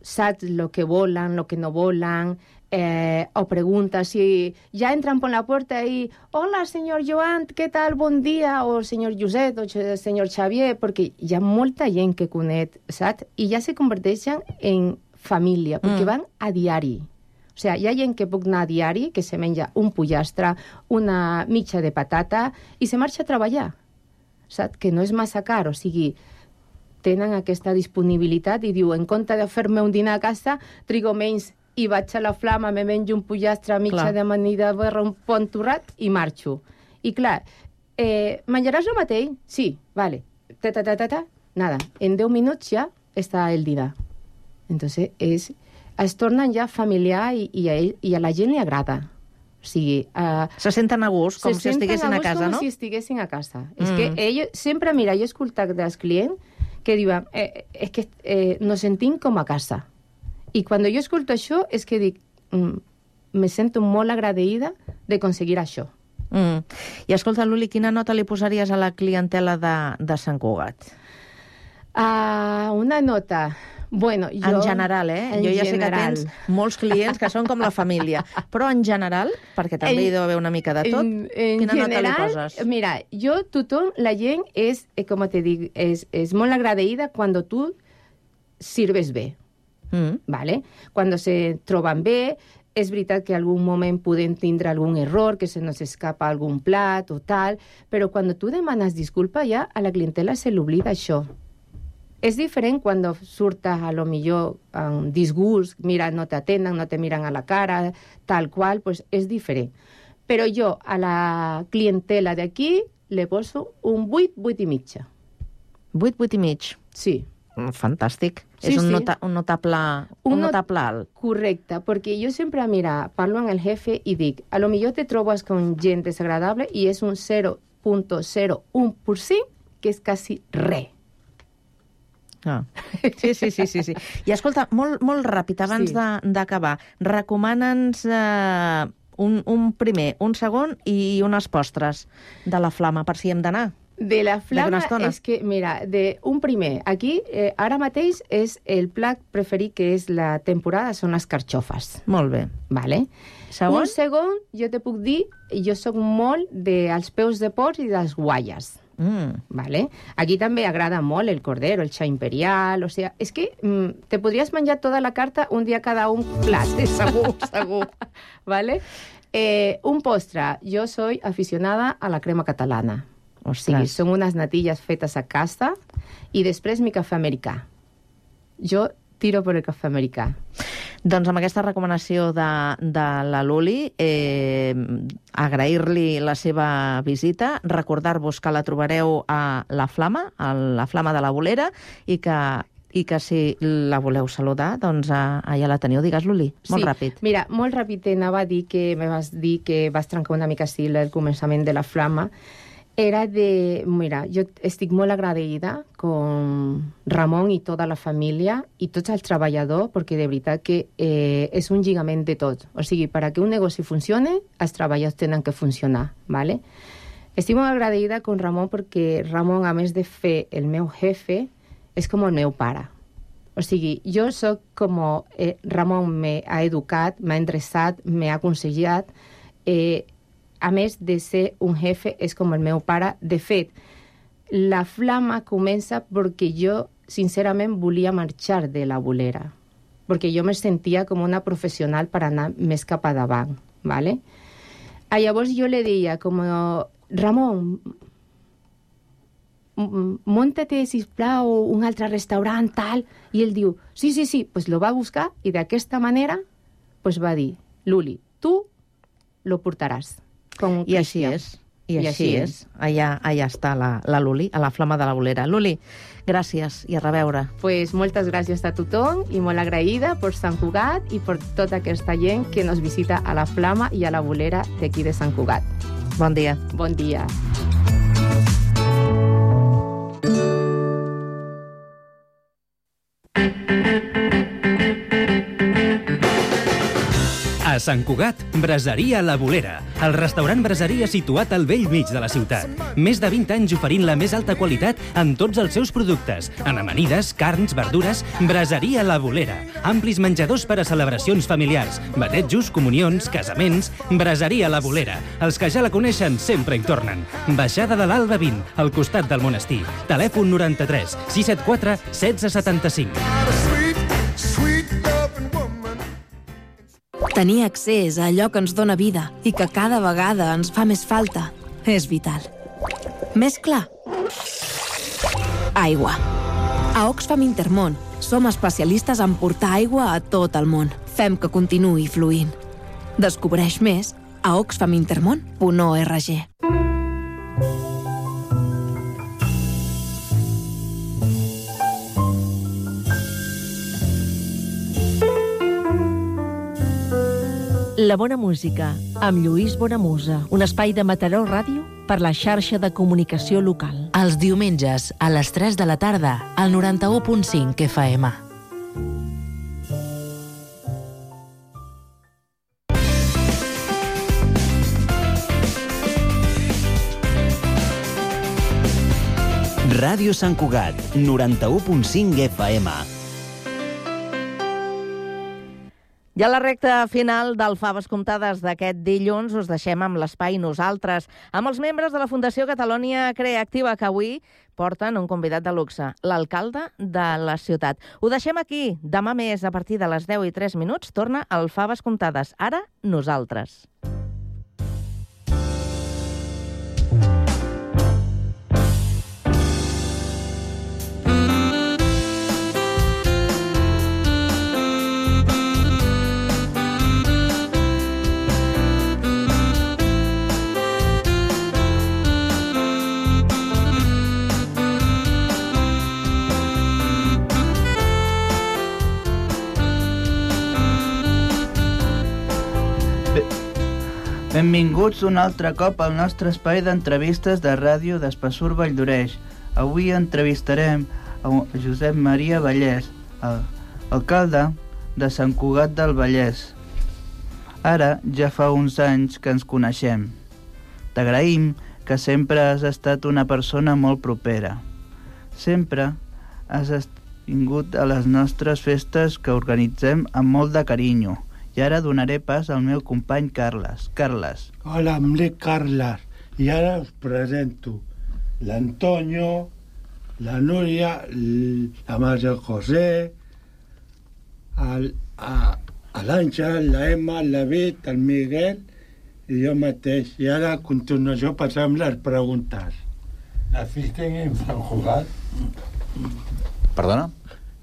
saps el que volen, el que no volen, o preguntes si ja entran per la porta i hola, senyor Joan, què tal, bon dia, o senyor Josep, o senyor Xavier, perquè hi ha molta gent que conec, saps? I ja se converteixen en família, perquè van a diari. O sigui, hi ha gent que puc anar a diari, que se menja un pollastre, una mitja de patata, i se marxa a treballar. Saps? Que no és massa car, o sigui, tenen aquesta disponibilitat i diu, en compte de fer-me un dinar a casa, trigo menys i vaig a la Flama, me menjo un pollastre, mitja d'amanida, un pont torrat i marxo. I clar, menjaràs el mateix? Sí, vale. Nada, en 10 minuts ja està el dinar. Entonces, es tornen ja familiar i a la gent li agrada. O sigui, se senten a gust, com si estiguessin a casa, no? Com si estiguessin a casa. És que ells, sempre, mira, jo he escoltat dels clients que diuen, és que nos sentim com a casa. I quan jo escolto això, és que dic, me sento molt agraïda de aconseguir això. I escolta, Luli, quina nota li posaries a la clientela de Sant Cugat? Una nota... Bueno, en general, jo ja sé que tens molts clients que són com la família, però en general, perquè també hi deu haver una mica de tot, quina nota li poses? Mira, la gent és, com te dic, és molt agraïda quan tu sirves bé, ¿vale? Quan se troben bé, és veritat que en algun moment podem tindre algun error, que se nos escapa algun plat o tal, però quan tu demanes disculpa ja a la clientela se l'oblida això. És diferent quan surtes a lo millor amb disgust, mira, no t'atenen, no te miren a la cara, tal qual, pues és diferent. Però jo a la clientela d'aquí le poso un 8, 8 i mitja. 8, 8 i mig? Sí. Fantàstic. Sí, és un notable alt. Correcte, perquè jo sempre, mira, parlo amb el jefe i dic, a lo millor te trobes con gent desagradable i és un 0.01%, que és quasi res. Sí. I escolta, molt ràpid, abans d'acabar, recomana'ns un primer, un segon i unes postres de la Flama, per si hem d'anar. De la Flama és que, mira, un primer, aquí, ara mateix, és el plat preferit, que és la temporada, són les carxofes. Molt bé. Vale. Segon? Un segon, jo te puc dir, jo soc molt dels peus de porc i dels guaies. Vale? Aquí també agrada molt el cordero, el xa imperial, o sea, és que te podries menjar tota la carta un dia cada un plat, segur. Vale? Un postre, jo soy aficionada a la crema catalana. O sigui, són unes natilles fetes a casa i després mi cafè americà. Jo tiro per el cafè americà. Doncs amb aquesta recomanació de la Luli, agrair-li la seva visita, recordar-vos que la trobareu a la Flama de la Bolera, i que si la voleu saludar, doncs allà la teniu. Digues, Luli, molt ràpid. Mira, molt ràpid anava a dir que me vas dir que vas trencar una mica així el començament de la Flama. Era de... Mira, jo estic molt agraïda con Ramon i tota la família i tots els treballadors, perquè de veritat que és un lligament de tot. O sigui, perquè un negoci funcione, els treballadors tenen que funcionar, ¿vale? Estic molt agraïda con Ramon perquè Ramon, a més de fer el meu jefe, és com el meu pare. O sigui, jo soc com... Ramon m'ha educat, m'ha endreçat, m'ha aconsellat... A més de ser un jefe, és com el meu pare. De fet, la Flama comença perquè jo, sincerament, volia marxar de la Bolera. Perquè jo me sentia com una professional per anar més cap a davant, ¿vale? Llavors jo le deia, com, Ramon, munta-te, sisplau, un altre restaurant, tal. I ell diu, sí, pues lo va buscar i d'aquesta manera pues va dir, Luli, tu lo portaràs. I així és. I així és. Allà està la Luli, a la Flama de la Bolera. Luli, gràcies i a reveure. Pues moltes gràcies a tothom i molt agraïda per Sant Cugat i per tota aquesta gent que nos visita a la Flama i a la Bolera d'aquí de Sant Cugat. Bon dia. Bon dia. A Sant Cugat, Braseria La Bolera, el restaurant braseria situat al vell mig de la ciutat. Més de 20 anys oferint la més alta qualitat en tots els seus productes, en amanides, carns, verdures. Braseria La Bolera, amplis menjadors per a celebracions familiars, batejos, comunions, casaments. Braseria La Bolera, els que ja la coneixen sempre hi tornen. Baixada de l'Alba 20, al costat del monestir. Telèfon 93 674 1675. Tenir accés a allò que ens dóna vida i que cada vegada ens fa més falta és vital. Més clar? Aigua. A Oxfam Intermón som especialistes en portar aigua a tot el món. Fem que continuï fluint. Descobreix més a oxfamintermon.org. La bona música, amb Lluís Bonamusa, un espai de Mataró Ràdio per la xarxa de comunicació local. Els diumenges, a les 3 de la tarda, al 91.5 FM. Ràdio Sant Cugat, 91.5 FM. I a la recta final del Faves Comptades d'aquest dilluns us deixem amb l'espai Nosaltres, amb els membres de la Fundació Catalunya Creativa, que avui porten un convidat de luxe, l'alcalde de la ciutat. Ho deixem aquí. Demà més, a partir de les 10:03, torna el Faves Comptades. Ara, Nosaltres. Benvinguts un altre cop al nostre espai d'entrevistes de ràdio d'Espessur Valldoreix. Avui entrevistarem a Josep Maria Vallès, alcalde de Sant Cugat del Vallès. Ara ja fa uns anys que ens coneixem. T'agraïm que sempre has estat una persona molt propera. Sempre has vingut a les nostres festes que organitzem amb molt de carinyo. I ara donaré pas al meu company Carles. Carles. Hola, em dic Carles. I ara us presento l'Antonio, la Núria, la Maria José, l'Àngel, la Emma, el David, el Miguel i jo mateix. I ara a continuació passem les preguntes. ¿Naciste en Sant Cugat? Perdona?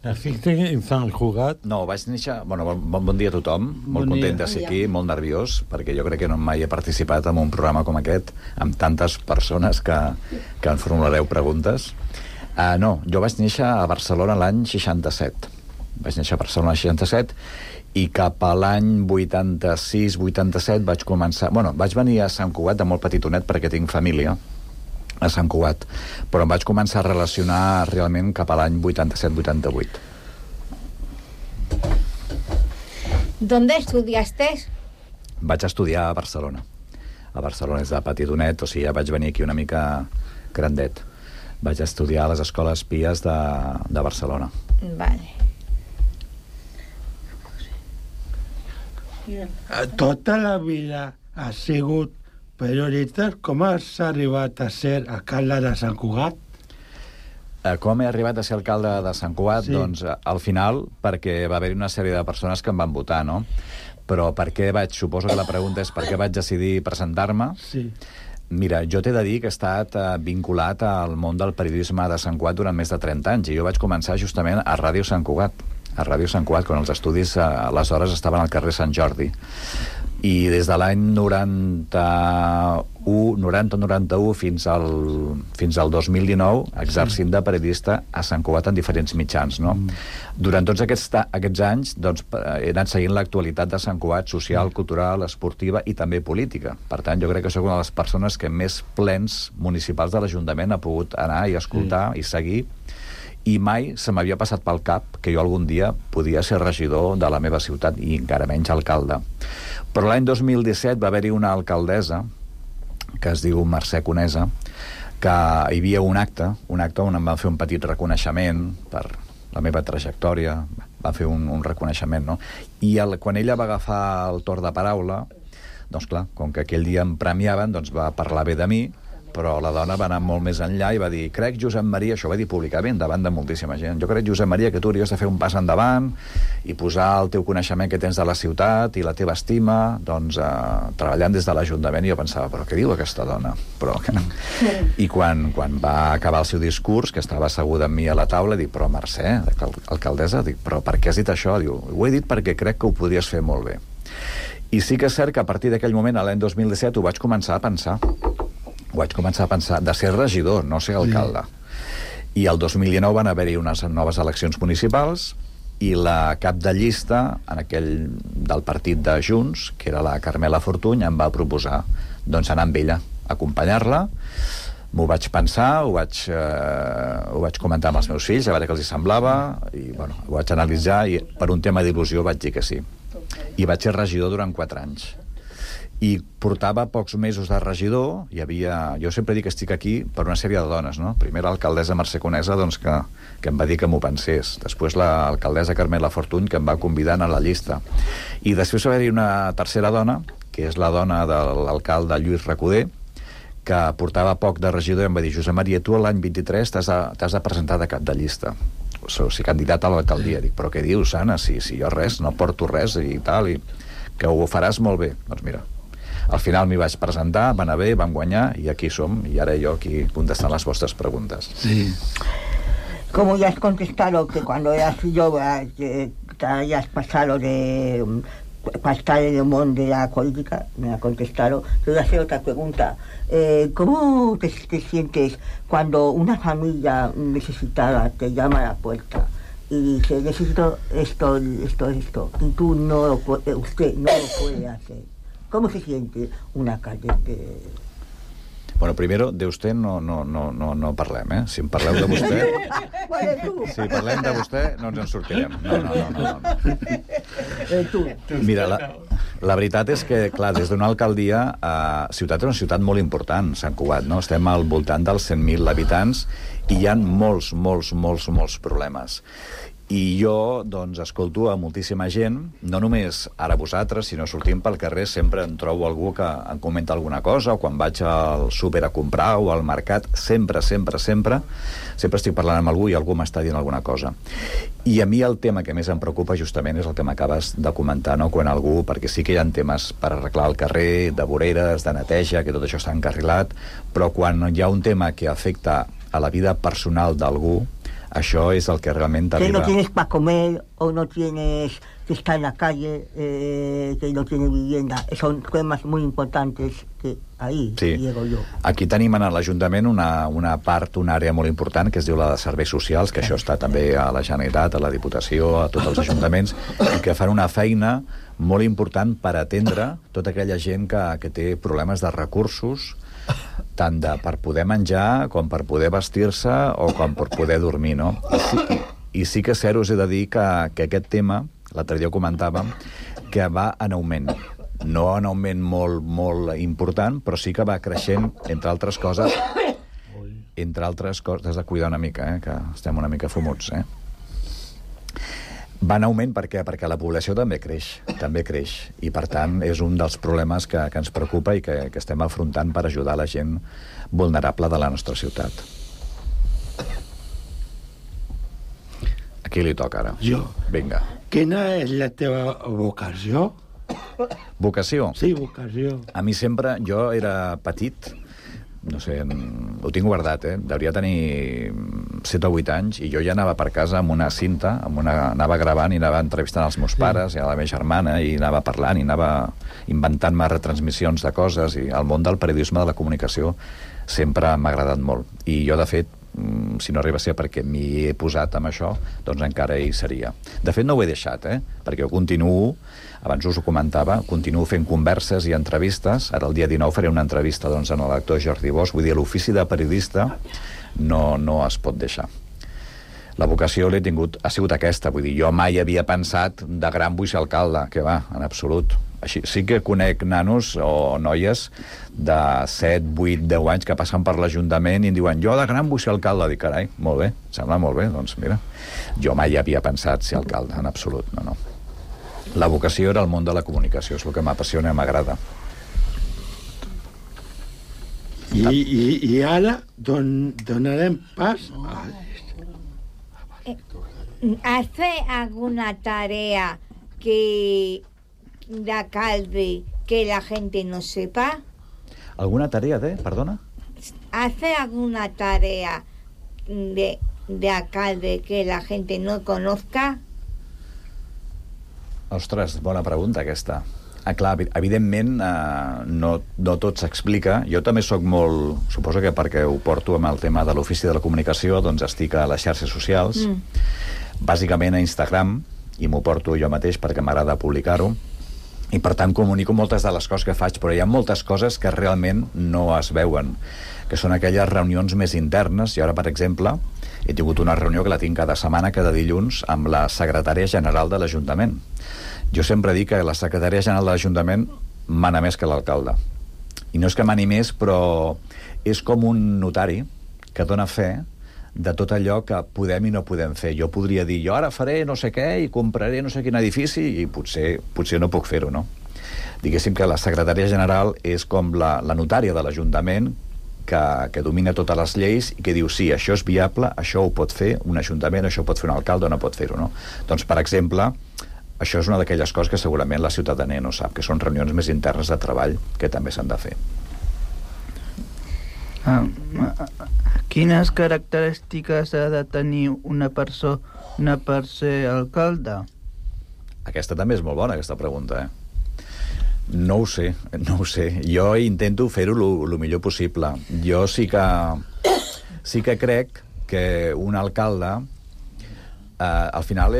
Naciste en Sant Cugat? No, vaig néixer... Bueno, bon dia a tothom. Molt content de ser aquí, molt nerviós, perquè jo crec que no mai he participat en un programa com aquest, amb tantes persones que em formulareu preguntes. No, jo vaig néixer a Barcelona l'any 67. Vaig néixer a Barcelona l'any 67 i cap a l'any 86-87 vaig començar... Bueno, vaig venir a Sant Cugat de molt petitonet perquè tinc família a Sant Cugat, però em vaig començar a relacionar realment cap a l'any 87-88. ¿Dónde estudiaste? Vaig estudiar a Barcelona. A Barcelona és de petitonet, o sigui, ja vaig venir aquí una mica grandet. Vaig estudiar a les escoles pies de Barcelona. Vale. Tota la vida ha sigut periodista. Com has arribat a ser alcalde de Sant Cugat? Com he arribat a ser alcalde de Sant Cugat? Sí. Doncs al final, perquè va haver-hi una sèrie de persones que em van votar, no? Però per què suposo que la pregunta és per què vaig decidir presentar-me? Sí. Mira, jo t'he de dir que he estat vinculat al món del periodisme de Sant Cugat durant més de 30 anys, i jo vaig començar justament a Ràdio Sant Cugat, quan els estudis aleshores estaven al carrer Sant Jordi. I des de l'any 90-91 fins al 2019 exercint de periodista a Sant Cugat en diferents mitjans, no? Durant tots aquests anys doncs, he anat seguint l'actualitat de Sant Cugat, social, cultural, esportiva i també política. Per tant, jo crec que soc una de les persones que més plens municipals de l'Ajuntament ha pogut anar i escoltar i seguir, i mai se m'havia passat pel cap que jo algun dia podia ser regidor de la meva ciutat i encara menys alcalde. Però l'any 2017 va haver-hi una alcaldessa que es diu Mercè Conesa, que hi havia un acte on em van fer un petit reconeixement per la meva trajectòria, va fer un reconeixement, no? I quan ella va agafar el torn de paraula, doncs clar, com que aquell dia em premiaven, doncs va parlar bé de mi, però la dona va anar molt més enllà i va dir, crec, Josep Maria, això ho va dir públicament davant de moltíssima gent, jo crec, Josep Maria, que tu hauries de fer un pas endavant i posar el teu coneixement que tens de la ciutat i la teva estima, doncs, treballant des de l'Ajuntament. I jo pensava, però què diu aquesta dona? Però... I quan va acabar el seu discurs, que estava asseguda amb mi a la taula, dic, però Mercè, alcaldessa, dic, però per què has dit això? Diu, ho he dit perquè crec que ho podries fer molt bé. I sí que és cert que a partir d'aquell moment, l'any 2017, ho vaig començar a pensar. De ser regidor, no ser alcalde. I el 2019 van haver-hi unes noves eleccions municipals i la cap de llista del partit de Junts, que era la Carmela Fortuny, em va proposar doncs, anar amb ella, acompanyar-la. M'ho vaig pensar, ho vaig comentar amb els meus fills, a veure què els hi semblava, i bueno, ho vaig analitzar i per un tema d'il·lusió vaig dir que sí. I vaig ser regidor durant 4 anys. I portava pocs mesos de regidor, jo sempre dic que estic aquí per una sèrie de dones, no? Primer l'alcaldessa Mercè Conesa, doncs, que em va dir que m'ho pensés. Després l'alcaldessa Carmela Fortuny, que em va convidar a anar a la llista. I després va haver-hi una tercera dona, que és la dona de l'alcalde Lluís Recoder, que portava poc de regidor i em va dir: Josep Maria, tu l'any 23 t'has de presentar de cap de llista. O sigui, candidat a l'alcaldia. Dic, però què dius, Anna? Si jo res, no porto res i tal, i que ho faràs molt bé. Doncs mira, al final m'hi vaig presentar, va anar bé, vam guanyar, i aquí som, y ahora yo aquí contestant las vuestras preguntas. Sí. Como ya has contestado que cuando eras joven te hayas pasado de pasar en el mundo de la política, me ha contestado, te voy a hacer otra pregunta. ¿Cómo te sientes cuando una familia necesitada te llama a la puerta y dice, necesito esto, y tú usted no lo puede hacer? ¿Cómo se siente una cadete? Bueno, primero, de vostè no parlem, eh? Si em parleu de vostè... Si parlem de vostè, no ens en sortirem. No. Mira, la veritat és que, clar, des d'una alcaldia, ciutat és una ciutat molt important, Sant Cugat, no? Estem al voltant dels 100.000 habitants i hi ha molts problemes. I jo, doncs, escolto a moltíssima gent, no només ara vosaltres, sinó sortint pel carrer sempre em trobo algú que em comenta alguna cosa, o quan vaig al súper a comprar o al mercat, sempre estic parlant amb algú i algú m'està dient alguna cosa. I a mi el tema que més em preocupa justament és el que m'acabes de comentar, no? Quan algú, perquè sí que hi ha temes per arreglar el carrer, de voreres, de neteja, que tot això està encarrilat, però quan hi ha un tema que afecta a la vida personal d'algú, això és el que realment que arriba. no tienes para comer o no tienes que estar en la calle, que no tienes vivienda. Son temas muy importantes que ahí llego yo. Aquí tenim a l'Ajuntament una part, una àrea molt important que es diu la de serveis socials, que això està també a la Generalitat, a la Diputació, a tots els ajuntaments, i que fan una feina molt important per atendre tota aquella gent que té problemes de recursos, tant per poder menjar com per poder vestir-se o com per poder dormir, no? I sí que us he de dir que aquest tema, l'altre dia ho comentàvem, que va en augment. No en augment molt important, però sí que va creixent, entre altres coses, has de cuidar una mica, que estem una mica fumuts, va en augment perquè la població també creix, i per tant és un dels problemes que ens preocupa i que estem afrontant per ajudar la gent vulnerable de la nostra ciutat. A qui li toca ara? Jo. Vinga. Quina és la teva vocació? Vocació? Sí, vocació. A mi sempre, jo era petit, no sé, ho tinc guardat, devia tenir 7 o 8 anys, i jo ja anava per casa amb una cinta, anava gravant i anava entrevistant els meus pares i a la meva germana, i anava parlant i anava inventant-me retransmissions de coses, i el món del periodisme, de la comunicació, sempre m'ha agradat molt. I jo, de fet, si no arriba a ser perquè m'hi he posat amb això, doncs encara hi seria. De fet, no ho he deixat, perquè jo continuo, abans us ho comentava, continuo fent converses i entrevistes. Ara el dia 19 faré una entrevista doncs, en l'actor Jordi Bosch. Vull dir, l'ofici de periodista no es pot deixar. La vocació l'he tingut, ha sigut aquesta, vull dir, jo mai havia pensat de gran vull ser alcalde, que va, en absolut. Així, sí que conec nanos o noies de 7, 8, 10 anys que passen per l'Ajuntament i em diuen, jo de gran vull ser alcalde. Dic, carai, molt bé, sembla molt bé, doncs mira, jo mai havia pensat ser alcalde, en absolut, no. La vocació era el món de la comunicació, és el que m'apassiona i m'agrada. I ara donarem pas a... ¿Hace alguna tarea de alcalde que la gente no sepa? ¿Alguna tarea perdona? ¿Hace alguna tarea de alcalde que la gente no conozca? Ostres, bona pregunta aquesta. Clar, evidentment no tot s'explica. Jo també sóc molt... Suposo que perquè ho porto amb el tema de l'ofici de la comunicació, doncs estic a les xarxes socials, bàsicament a Instagram, i m'ho porto jo mateix perquè m'agrada publicar-ho, i per tant comunico moltes de les coses que faig, però hi ha moltes coses que realment no es veuen, que són aquelles reunions més internes. I ara, per exemple, he tingut una reunió que la tinc cada setmana, cada dilluns, amb la secretària general de l'Ajuntament. Jo sempre dic que la secretària general de l'Ajuntament mana més que l'alcalde. I no és que mani més, però és com un notari que dona fe de tot allò que podem i no podem fer. Jo podria dir, jo ara faré no sé què i compraré no sé quin edifici, i potser no puc fer-ho, no? Diguéssim que la secretària general és com la notària de l'Ajuntament que domina totes les lleis i que diu, sí, això és viable, això ho pot fer un ajuntament, això ho pot fer un alcalde o no pot fer-ho, no? Doncs, per exemple, això és una d'aquelles coses que segurament la ciutadania no sap, que són reunions més internes de treball que també s'han de fer. Quines característiques ha de tenir una persona per ser alcalde? Aquesta també és molt bona, aquesta pregunta, No ho sé. Jo intento fer-ho el millor possible. Jo sí que crec que un alcalde al final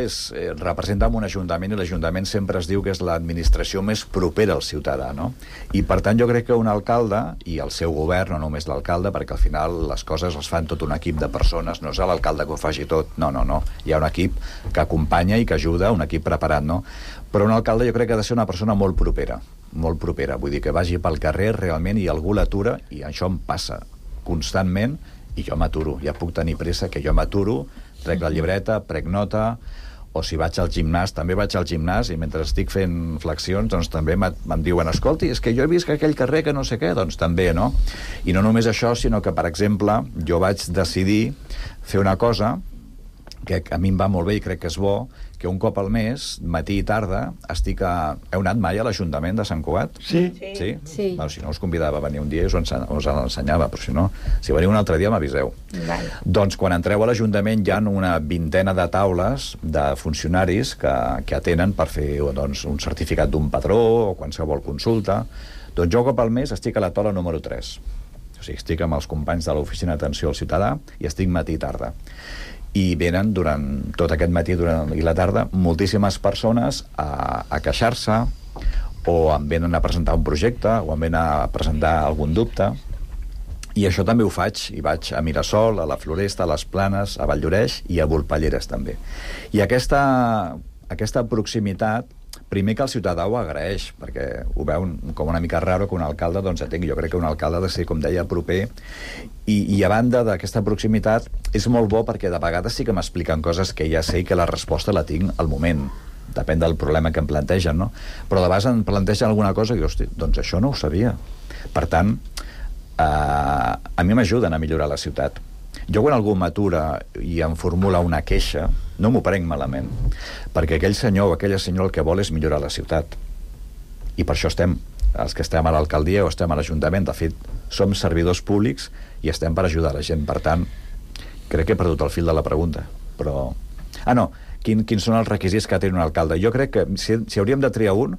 representa un ajuntament, i l'Ajuntament sempre es diu que és l'administració més propera al ciutadà, no? I per tant jo crec que un alcalde i el seu govern, no només l'alcalde, perquè al final les coses les fan tot un equip de persones, no és l'alcalde que ho faci tot, no. Hi ha un equip que acompanya i que ajuda, un equip preparat, no? Però un alcalde jo crec que ha de ser una persona molt propera, vull dir que vagi pel carrer realment i algú l'atura, i això em passa constantment, i jo m'aturo, ja puc tenir pressa que jo m'aturo, trec la llibreta, prec nota, o si vaig al gimnàs, també vaig al gimnàs, i mentre estic fent flexions, doncs també em diuen, escolti, és que jo he vist que aquell carrer que no sé què, doncs també, no? I no només això, sinó que, per exemple, jo vaig decidir fer una cosa que a mi em va molt bé i crec que és bo, que un cop al mes, matí i tarda, Heu anat mai a l'Ajuntament de Sant Cugat? Sí. Sí. Bueno, si no us convidava a venir un dia i us l'ensenyava, però si no, si veniu un altre dia m'aviseu. Vale. Doncs quan entreu a l'Ajuntament hi ha una vintena de taules de funcionaris que atenen per fer un certificat d'un patró o qualsevol consulta. Doncs jo cop al mes estic a la taula número 3. O sigui, estic amb els companys de l'Oficina d'Atenció al Ciutadà i estic matí i tarda. I venen durant tot aquest matí i la tarda moltíssimes persones a queixar-se, o em venen a presentar un projecte, o em venen a presentar algun dubte. I això també ho faig, i vaig a Mirasol, a la Floresta, a les Planes, a Valldoreix i a Volpelleres també. I aquesta proximitat, primer que el ciutadà ho agraeix, perquè ho veu com una mica raro que un alcalde atengui. Jo crec que un alcalde ha de ser, com deia, proper, i a banda d'aquesta proximitat és molt bo perquè de vegades sí que m'expliquen coses que ja sé que la resposta la tinc al moment, depèn del problema que em plantegen, no? Però de vegades em plantegen alguna cosa i dic, hosti, doncs això no ho sabia. Per tant, a mi m'ajuden a millorar la ciutat. Jo quan algú m'atura i em formula una queixa, no m'ho prenc malament, perquè aquell senyor o aquella senyora el que vol és millorar la ciutat. I per això estem, els que estem a l'alcaldia o estem a l'Ajuntament, de fet, som servidors públics i estem per ajudar la gent. Per tant, crec que he perdut el fil de la pregunta, però... Quins són els requisits que ha de tenir un alcalde? Jo crec que si hauríem de triar un,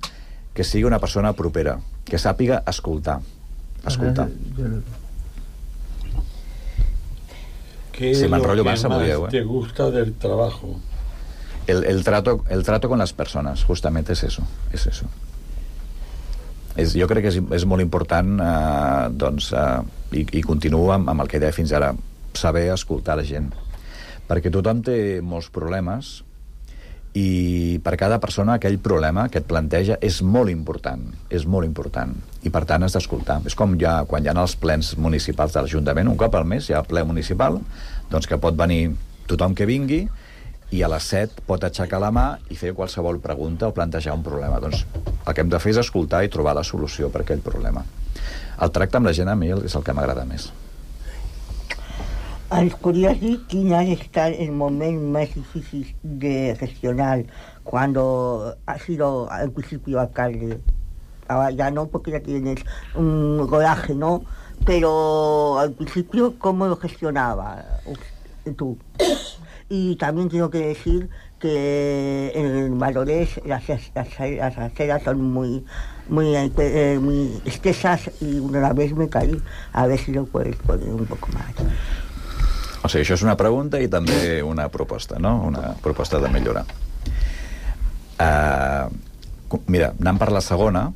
que sigui una persona propera, que sàpiga escoltar. ¿Qué es lo que más te gusta del trabajo? El trato con las personas, justamente es eso. Jo crec que és molt important, i continuo amb el que deia fins ara, saber escoltar la gent. Perquè tothom té molts problemes, i per cada persona aquell problema que et planteja és molt important, i per tant has d'escoltar. És com quan hi ha els plens municipals de l'Ajuntament, un cop al mes hi ha ple municipal, doncs que pot venir tothom que vingui i a les 7 pot aixecar la mà i fer qualsevol pregunta o plantejar un problema. Doncs el que hem de fer és escoltar i trobar la solució per aquell problema. El tracte amb la gent a mi és el que m'agrada més. Ens podrías decir quién ha estar el momento más difícil de gestionar cuando has sido al principio alcalde? Ahora ya no, porque ya tienes un rodaje, ¿no? Pero al principio, ¿cómo lo gestionaba tú? Y también tengo que decir que en Valores las aceras son muy estesas y una vez me caí. A ver si lo puedes poner un poco más. O sigui, això és una pregunta i també una proposta, no? Una proposta de millorar. Mira, anant per la segona,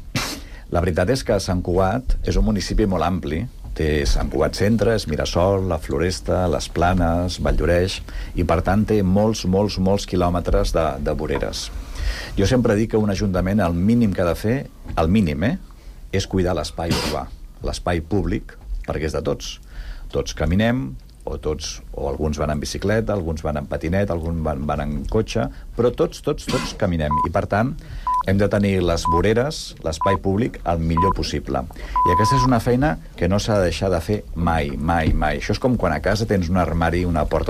la veritat és que Sant Cugat és un municipi molt ampli. Té Sant Cugat Centre, és Mirasol, la Floresta, les Planes, Valldoreix, i per tant té molts quilòmetres de voreres. Jo sempre dic que un ajuntament el mínim que ha de fer, el mínim, és cuidar l'espai urbà, l'espai públic, perquè és de tots. Tots caminem, o alguns van en bicicleta, alguns van en patinet, alguns van en cotxe, però tots caminem. I, per tant, hem de tenir les voreres, l'espai públic, el millor possible. I aquesta és una feina que no s'ha de deixar de fer mai. Això és com quan a casa tens un armari, una porta